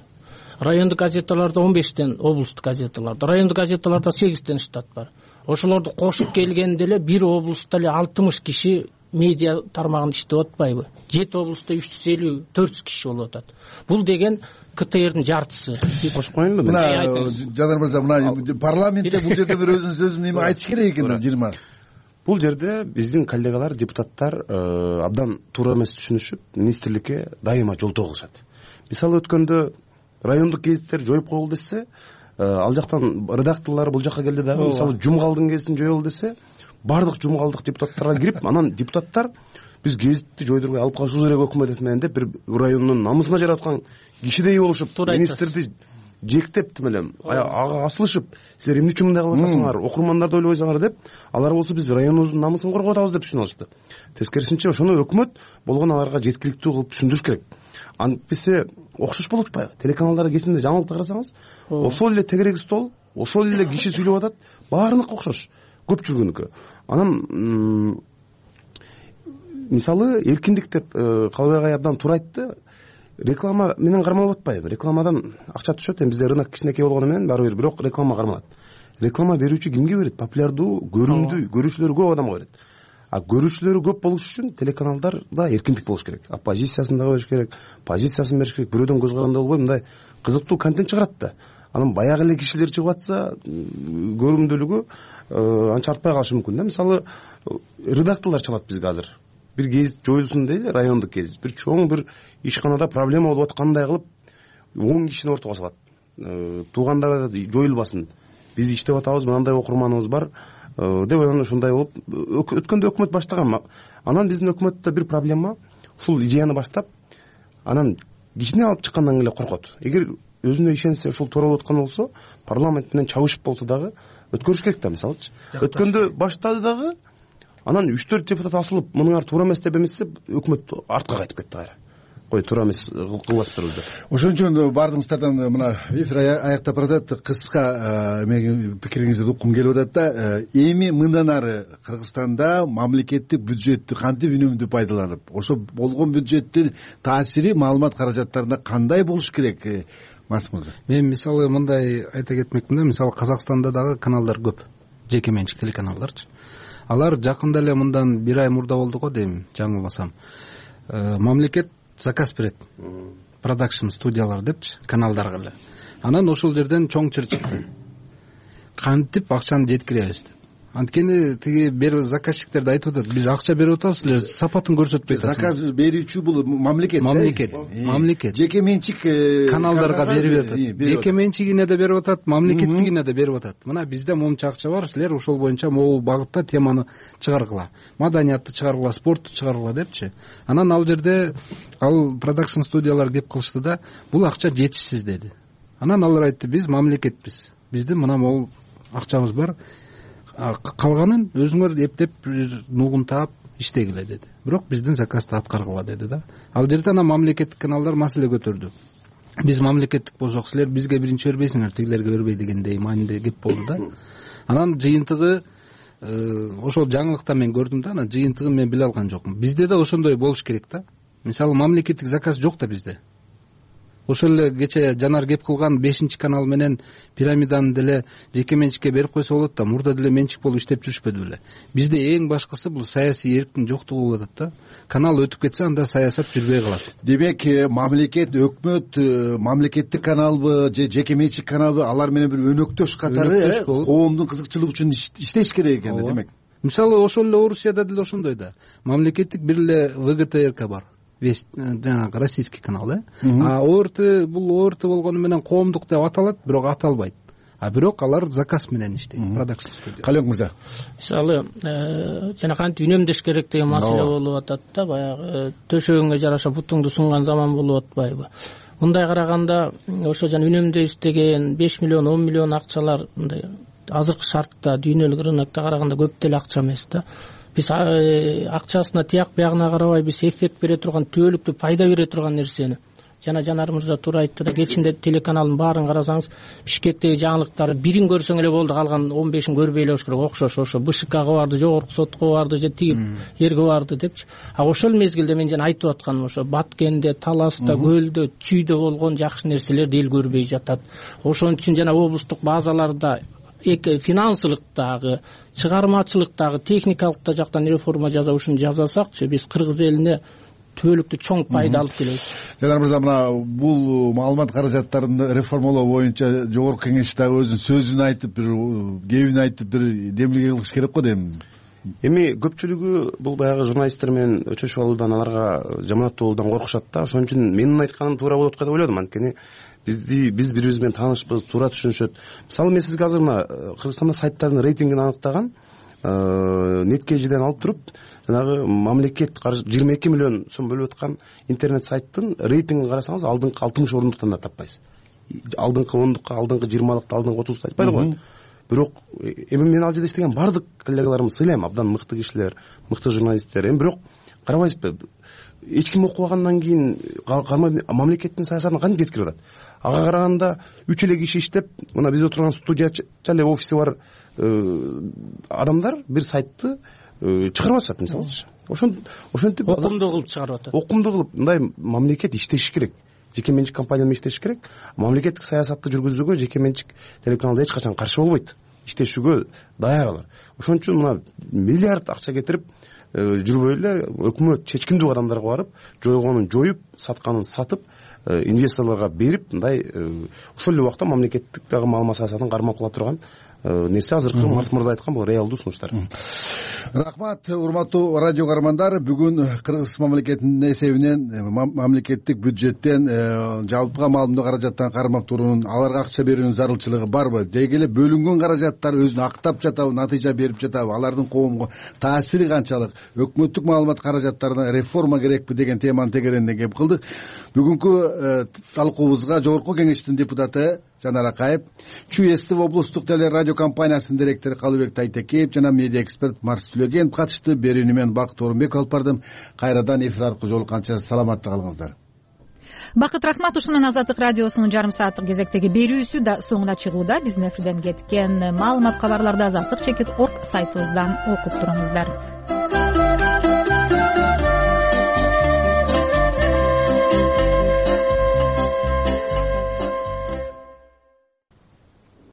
Райондук газеталарда он бештен, облустук газеталарда, райондук газеталарда сегизден штат бар. Ошолорду кошуп келгенде эле бир облустта эле алтымыш киши медиа тармагында иштеп атпайбы? жети облустта үч жүз элүү, төрт жүз киши болуп атат. Бул деген ка тэ эрдин жартысы. Кошуп коеюнбу? Мына Жанар мырза, мына парламентте бул жерде бир өзүнүн сөзүн эме айтыш керек экен жыйырма. Бул жерде биздин коллегалар, депутаттар абдан туура эмес түшүнүшүп, министрликке дайыма жолтоо кылышат. Мисалы өткөндө райондук гезиттер жоюп коелу десе, ал жактан редакторлор бул жака келди дагы, мисалы Жумгалдын гезитин жоелу десе, бардык Жумгалдык депутаттарга кирип, анан депутаттар биз гезитти жойдурбай алып калышыбыз керек өкмөт менен деп бир райондун намысына жараткан кишидей болушуп, министрди жектеп тим эле ага асылышып силер эмне үчүн мындай кылып атасыңар, окурмандарды ойлобойсуңар деп, алар болсо биз районубуздун намысын коргоп атабыз деп түшүнүп алышты. Тескерисинче ошону өкмөт болгон аларга жеткиликтүү кылып түшүндүрүш керек. Антпесе окшош болуп атпайбы? Телеканалдарды кесинде жаңылыкты карасаңыз, ошол эле тегерек стол, ошол эле киши сүйлөп атат, баарыныкы окшош, көпчүлүгүнүкү. Анан мисалы эркиндик деп Калыбек агай абдан туура айтты. Реклама менен кармалып атпайбы? Рекламадан акча түшөт, эми бизде рынок кичинекей болгону менен баары бир бирок реклама кармалат. Реклама берүүчү кимге берет? Популярдуу, көрүмдүү, көрүүчүлөрү көп адамга берет. А көрүүчүлөрү көп болуш үчүн телеканалдарда эркиндик болуш керек. Оппозициясын дагы бериш керек, позициясын бериш керек. Бирөөдөн көз каранды болбой мындай кызыктуу контент чыгарат да. Анан баягы эле кишилер чыгып атса, көрүмдүүлүгү анча артпай калышы мүмкүн да. Мисалы, редакторлор чалат бизге азыр. Бир гезит жоюлсун дейли, райондук гезит. Бир чоң бир ишканада проблема болуп аткандай кылып, он кишини ортого салат. Туугандар жоюлбасын. Биз иштеп атабыз, мындай окурманыбыз бар деп анан ушундай болуп, өткөндө өкмөт баштаган. Анан биздин өкмөттө бир проблема, ушул идеяны баштап, анан кичине алып чыккандан эле коркот. Эгер өзүнө ишенсе, ушул туура болуп аткан болсо, парламент менен чабышып болсо дагы өткөрүш керек да, мисалычы. Өткөндө баштады дагы, анан үч төрт депутат асылып, мунуңар туура эмес деп эмессе, өкмөт артка кайтып кетти кайра. Кой туура эмес кылып атыптырбыз деп. Ошон үчүн баардыгыңыздардан мына эфир аяктап баратат, кыска пикириңизди уккум келип атат да. Эми мындан ары Кыргызстанда мамлекеттик бюджеттти кантип үнөмдүү пайдаланып, ошо болгон бюджеттин таасири маалымат каражаттарына кандай болуш керек? Марс мырза. Мен мисалы мындай айта кетмекмин да, мисалы Казакстанда дагы каналдар көп, жеке менчик телеканалдарчы. Алар жакында эле мындан бир ай мурда болду го дейм, жаңылбасам. Мамлекет заказ берет. Продакшн студиялар депчи, каналдарга эле. Анан ошол жерден чоң чыр чыкты. Кантип акчаны жеткиребиз деп. Анткени тиги бер заказчиктерди айтып атат, биз акча берип атабыз, силер сапатын көрсөтпөй атасыңар. Заказ берүүчү бул мамлекет. Мамлекет, мамлекет. Жеке менчик каналдарга берип атат. Жеке менчигине да берип атат, мамлекеттигине да берип атат. Мына бизде момча акча бар, силер ошол боюнча могу багытта теманы чыгаргыла, маданиятты чыгаргыла, спортту чыгаргыла депчи. Анан ал жерде ал продакшн студиялар кеп кылышты да, бул акча жетишсиз деди. Анан алар айтты, биз мамлекетпиз, биздин мына могу акчабыз бар, калганын өзүңөр эптеп нугун таап иштегиле деди. Бирок биздин заказды аткаргыла деди да. Ал жерде анан мамлекеттик каналдар маселе көтөрдү. Биз мамлекеттик болсок, силер бизге биринчи бербейсиңер, тигилерге бербей дегендей маанидеги кеп болду да. Анан жыйынтыгы ошол жаңылыкта мен көрдүм да, анан жыйынтыгын мен биле алган жокмун. Бизде да ошондой болуш керек да. Мисалы мамлекеттик заказ жок да бизде. Ошол эле кече Жанар кеп кылган бешинчи канал менен пирамиданы деле жеке менчикке берип койсо болот да, мурда деле менчик болуп иштеп жүрүшпөдү беле. Бизде эң башкысы бул саясий эрктин жоктугу болуп атат да. Канал өтүп кетсе, анда саясат жүрбөй калат. Демек, мамлекет, өкмөт, мамлекеттик каналбы же жеке менчик каналбы, алар менен бир өнөктөш катары коомдун кызыкчылыгы үчүн иштеш керек экен демек. Мисалы ошол эле Орусияда деле ошондой да. Мамлекеттик бир эле вэ гэ тэ эр ка бар. Весь жанагы российский канал, э? А о эр тэ бул о эр тэ болгону менен коомдук деп аталат, бирок аталбайт. А бирок алар заказ менен иштейт, продакшн студия. Калек мырза. Мисалы, жана кантип үнөмдөш керек деген маселе болуп атат да, баягы төшөгүңө жараша бутуңду сунган заман болуп атпайбы? Мындай караганда, ошо жана үнөмдөйбүз деген беш миллион, он миллион акчалар мындай азыркы шартта дүйнөлүк рынокто караганда көп деле акча эмес да. Биз акчасына тияк биягына карабай, биз эффект бере турган, түбөлүктүү пайда бере турган нерсени. Жана Жанар мырза туура айтты да, кечинде телеканалдын баарын карасаңыз, Бишкектеги жаңылыктарды бирин көрсөң эле болду, калган он бешин көрбөй эле болуш керек, окшош ошо бэ ша кага барды, жогорку сотко барды же тиги жерге барды депчи. А ошол мезгилде мен жана айтып атканым ошо Баткенде, Таласта, Көлдө, Чүйдө болгон жакшы нерселерди эл көрбөй жатат. Ошон үчүн жана облустук базаларда финансылыктагы, чыгармачылыктагы, техникалык жактан реформа жасашын жасасакчы, биз кыргыз элине түбөлүктүү чоң пайда алып келебиз. Жанар мырза, мына бул маалымат каражаттарын реформалоо боюнча жогорку кеңеш дагы өзүнүн сөзүн айтып, бир кебин айтып, бир демилге кылыш керек го дейм. Эми көпчүлүгү бул баягы журналисттер менен өчөшүп алуудан, аларга жаманаттуу болуудан коркушат да. Ошон үчүн менин айтканым туура болот деп ойлодум. Анткени бизди биз бири биз менен таанышпыз, туура түшүнүшөт. Мисалы, мен сизге азыр мына Кыргызстанда сайттардын рейтингин аныктаган неткежиден алып туруп, жанагы мамлекет жыйырма эки миллион сом бөлүп аткан интернет сайттын рейтингин карасаңыз, алдыңкы алтымыш орунду да таппайсыз. алдыңкы ондукка алдыңкы жыйырмалыкты алдыңкы отузду айтпайт го. Бирок эми мен ал жерде иштеген баардык коллегаларымды сыйлайм, абдан мыкты кишилер, мыкты журналисттер. Эми бирок карабайсызбы, эч ким окубагандан кийин мамлекеттин саясатын кантип жеткирип атат? Ага караганда үч эле киши иштеп, мына бизде турган студиячы эле офиси бар адамдар бир сайтты чыгарып атышат, мисалычы. Ошентип окумдуу кылып чыгарып атат. Окумдуу кылып, мындай мамлекет иштеши керек. Жеке менчик компания менен иштеши керек. Мамлекеттик саясатты жүргүзүүгө жеке менчик телеканалдар эч качан каршы болбойт. Иштешүүгө даяр алар. Ошон үчүн мына миллиард акча кетирип жүрбөй эле өкмөт чечкиндүү адамдарга барып, жойгонун жоюп, сатканын сатып, инвесторлорго берип, мындай ошол эле убакта мамлекеттик дагы маалымат саясатын кармап кыла турган нерсе азыркы Марс мырза айткан бул реалдуу сунуштар. Рахмат, урматтуу радио каармандар. Бүгүн Кыргыз мамлекетинин эсебинен мамлекеттик бюджеттен жалпыга маалымдоо каражаттан кармап туруунун, аларга акча берүүнүн зарылчылыгы барбы? Деги эле бөлүнгөн каражаттар өзүн актап жатабы, натыйжа берип жатабы? Алардын коомго таасири канчалык? Өкмөттүк маалымат каражаттарына реформа керекпи деген теманын тегеренине кеп кылдык. Бүгүнкү талкуубузга Жогорку Кеңештин депутаты Жанар Акаев, Чүй эс тэ вэ облустук теле радио компаниясынын директору Калыбек Тайтекеев жана медиа эксперт Марс Түлөгенов катышты. Берүүнү мен Бакыт Орунбеков алып бардым. Кайрадан эфир аркылуу жолукканча саламатта калыңыздар. Бакыт, рахмат. Ушун менен Азаттык радиосунун жарым сааттык кезектеги берүүсү да соңуна чыгууда. Биздин эфирден кеткен маалымат, кабарларды азаттык чекит орг сайтыбыздан окуп туруңуздар.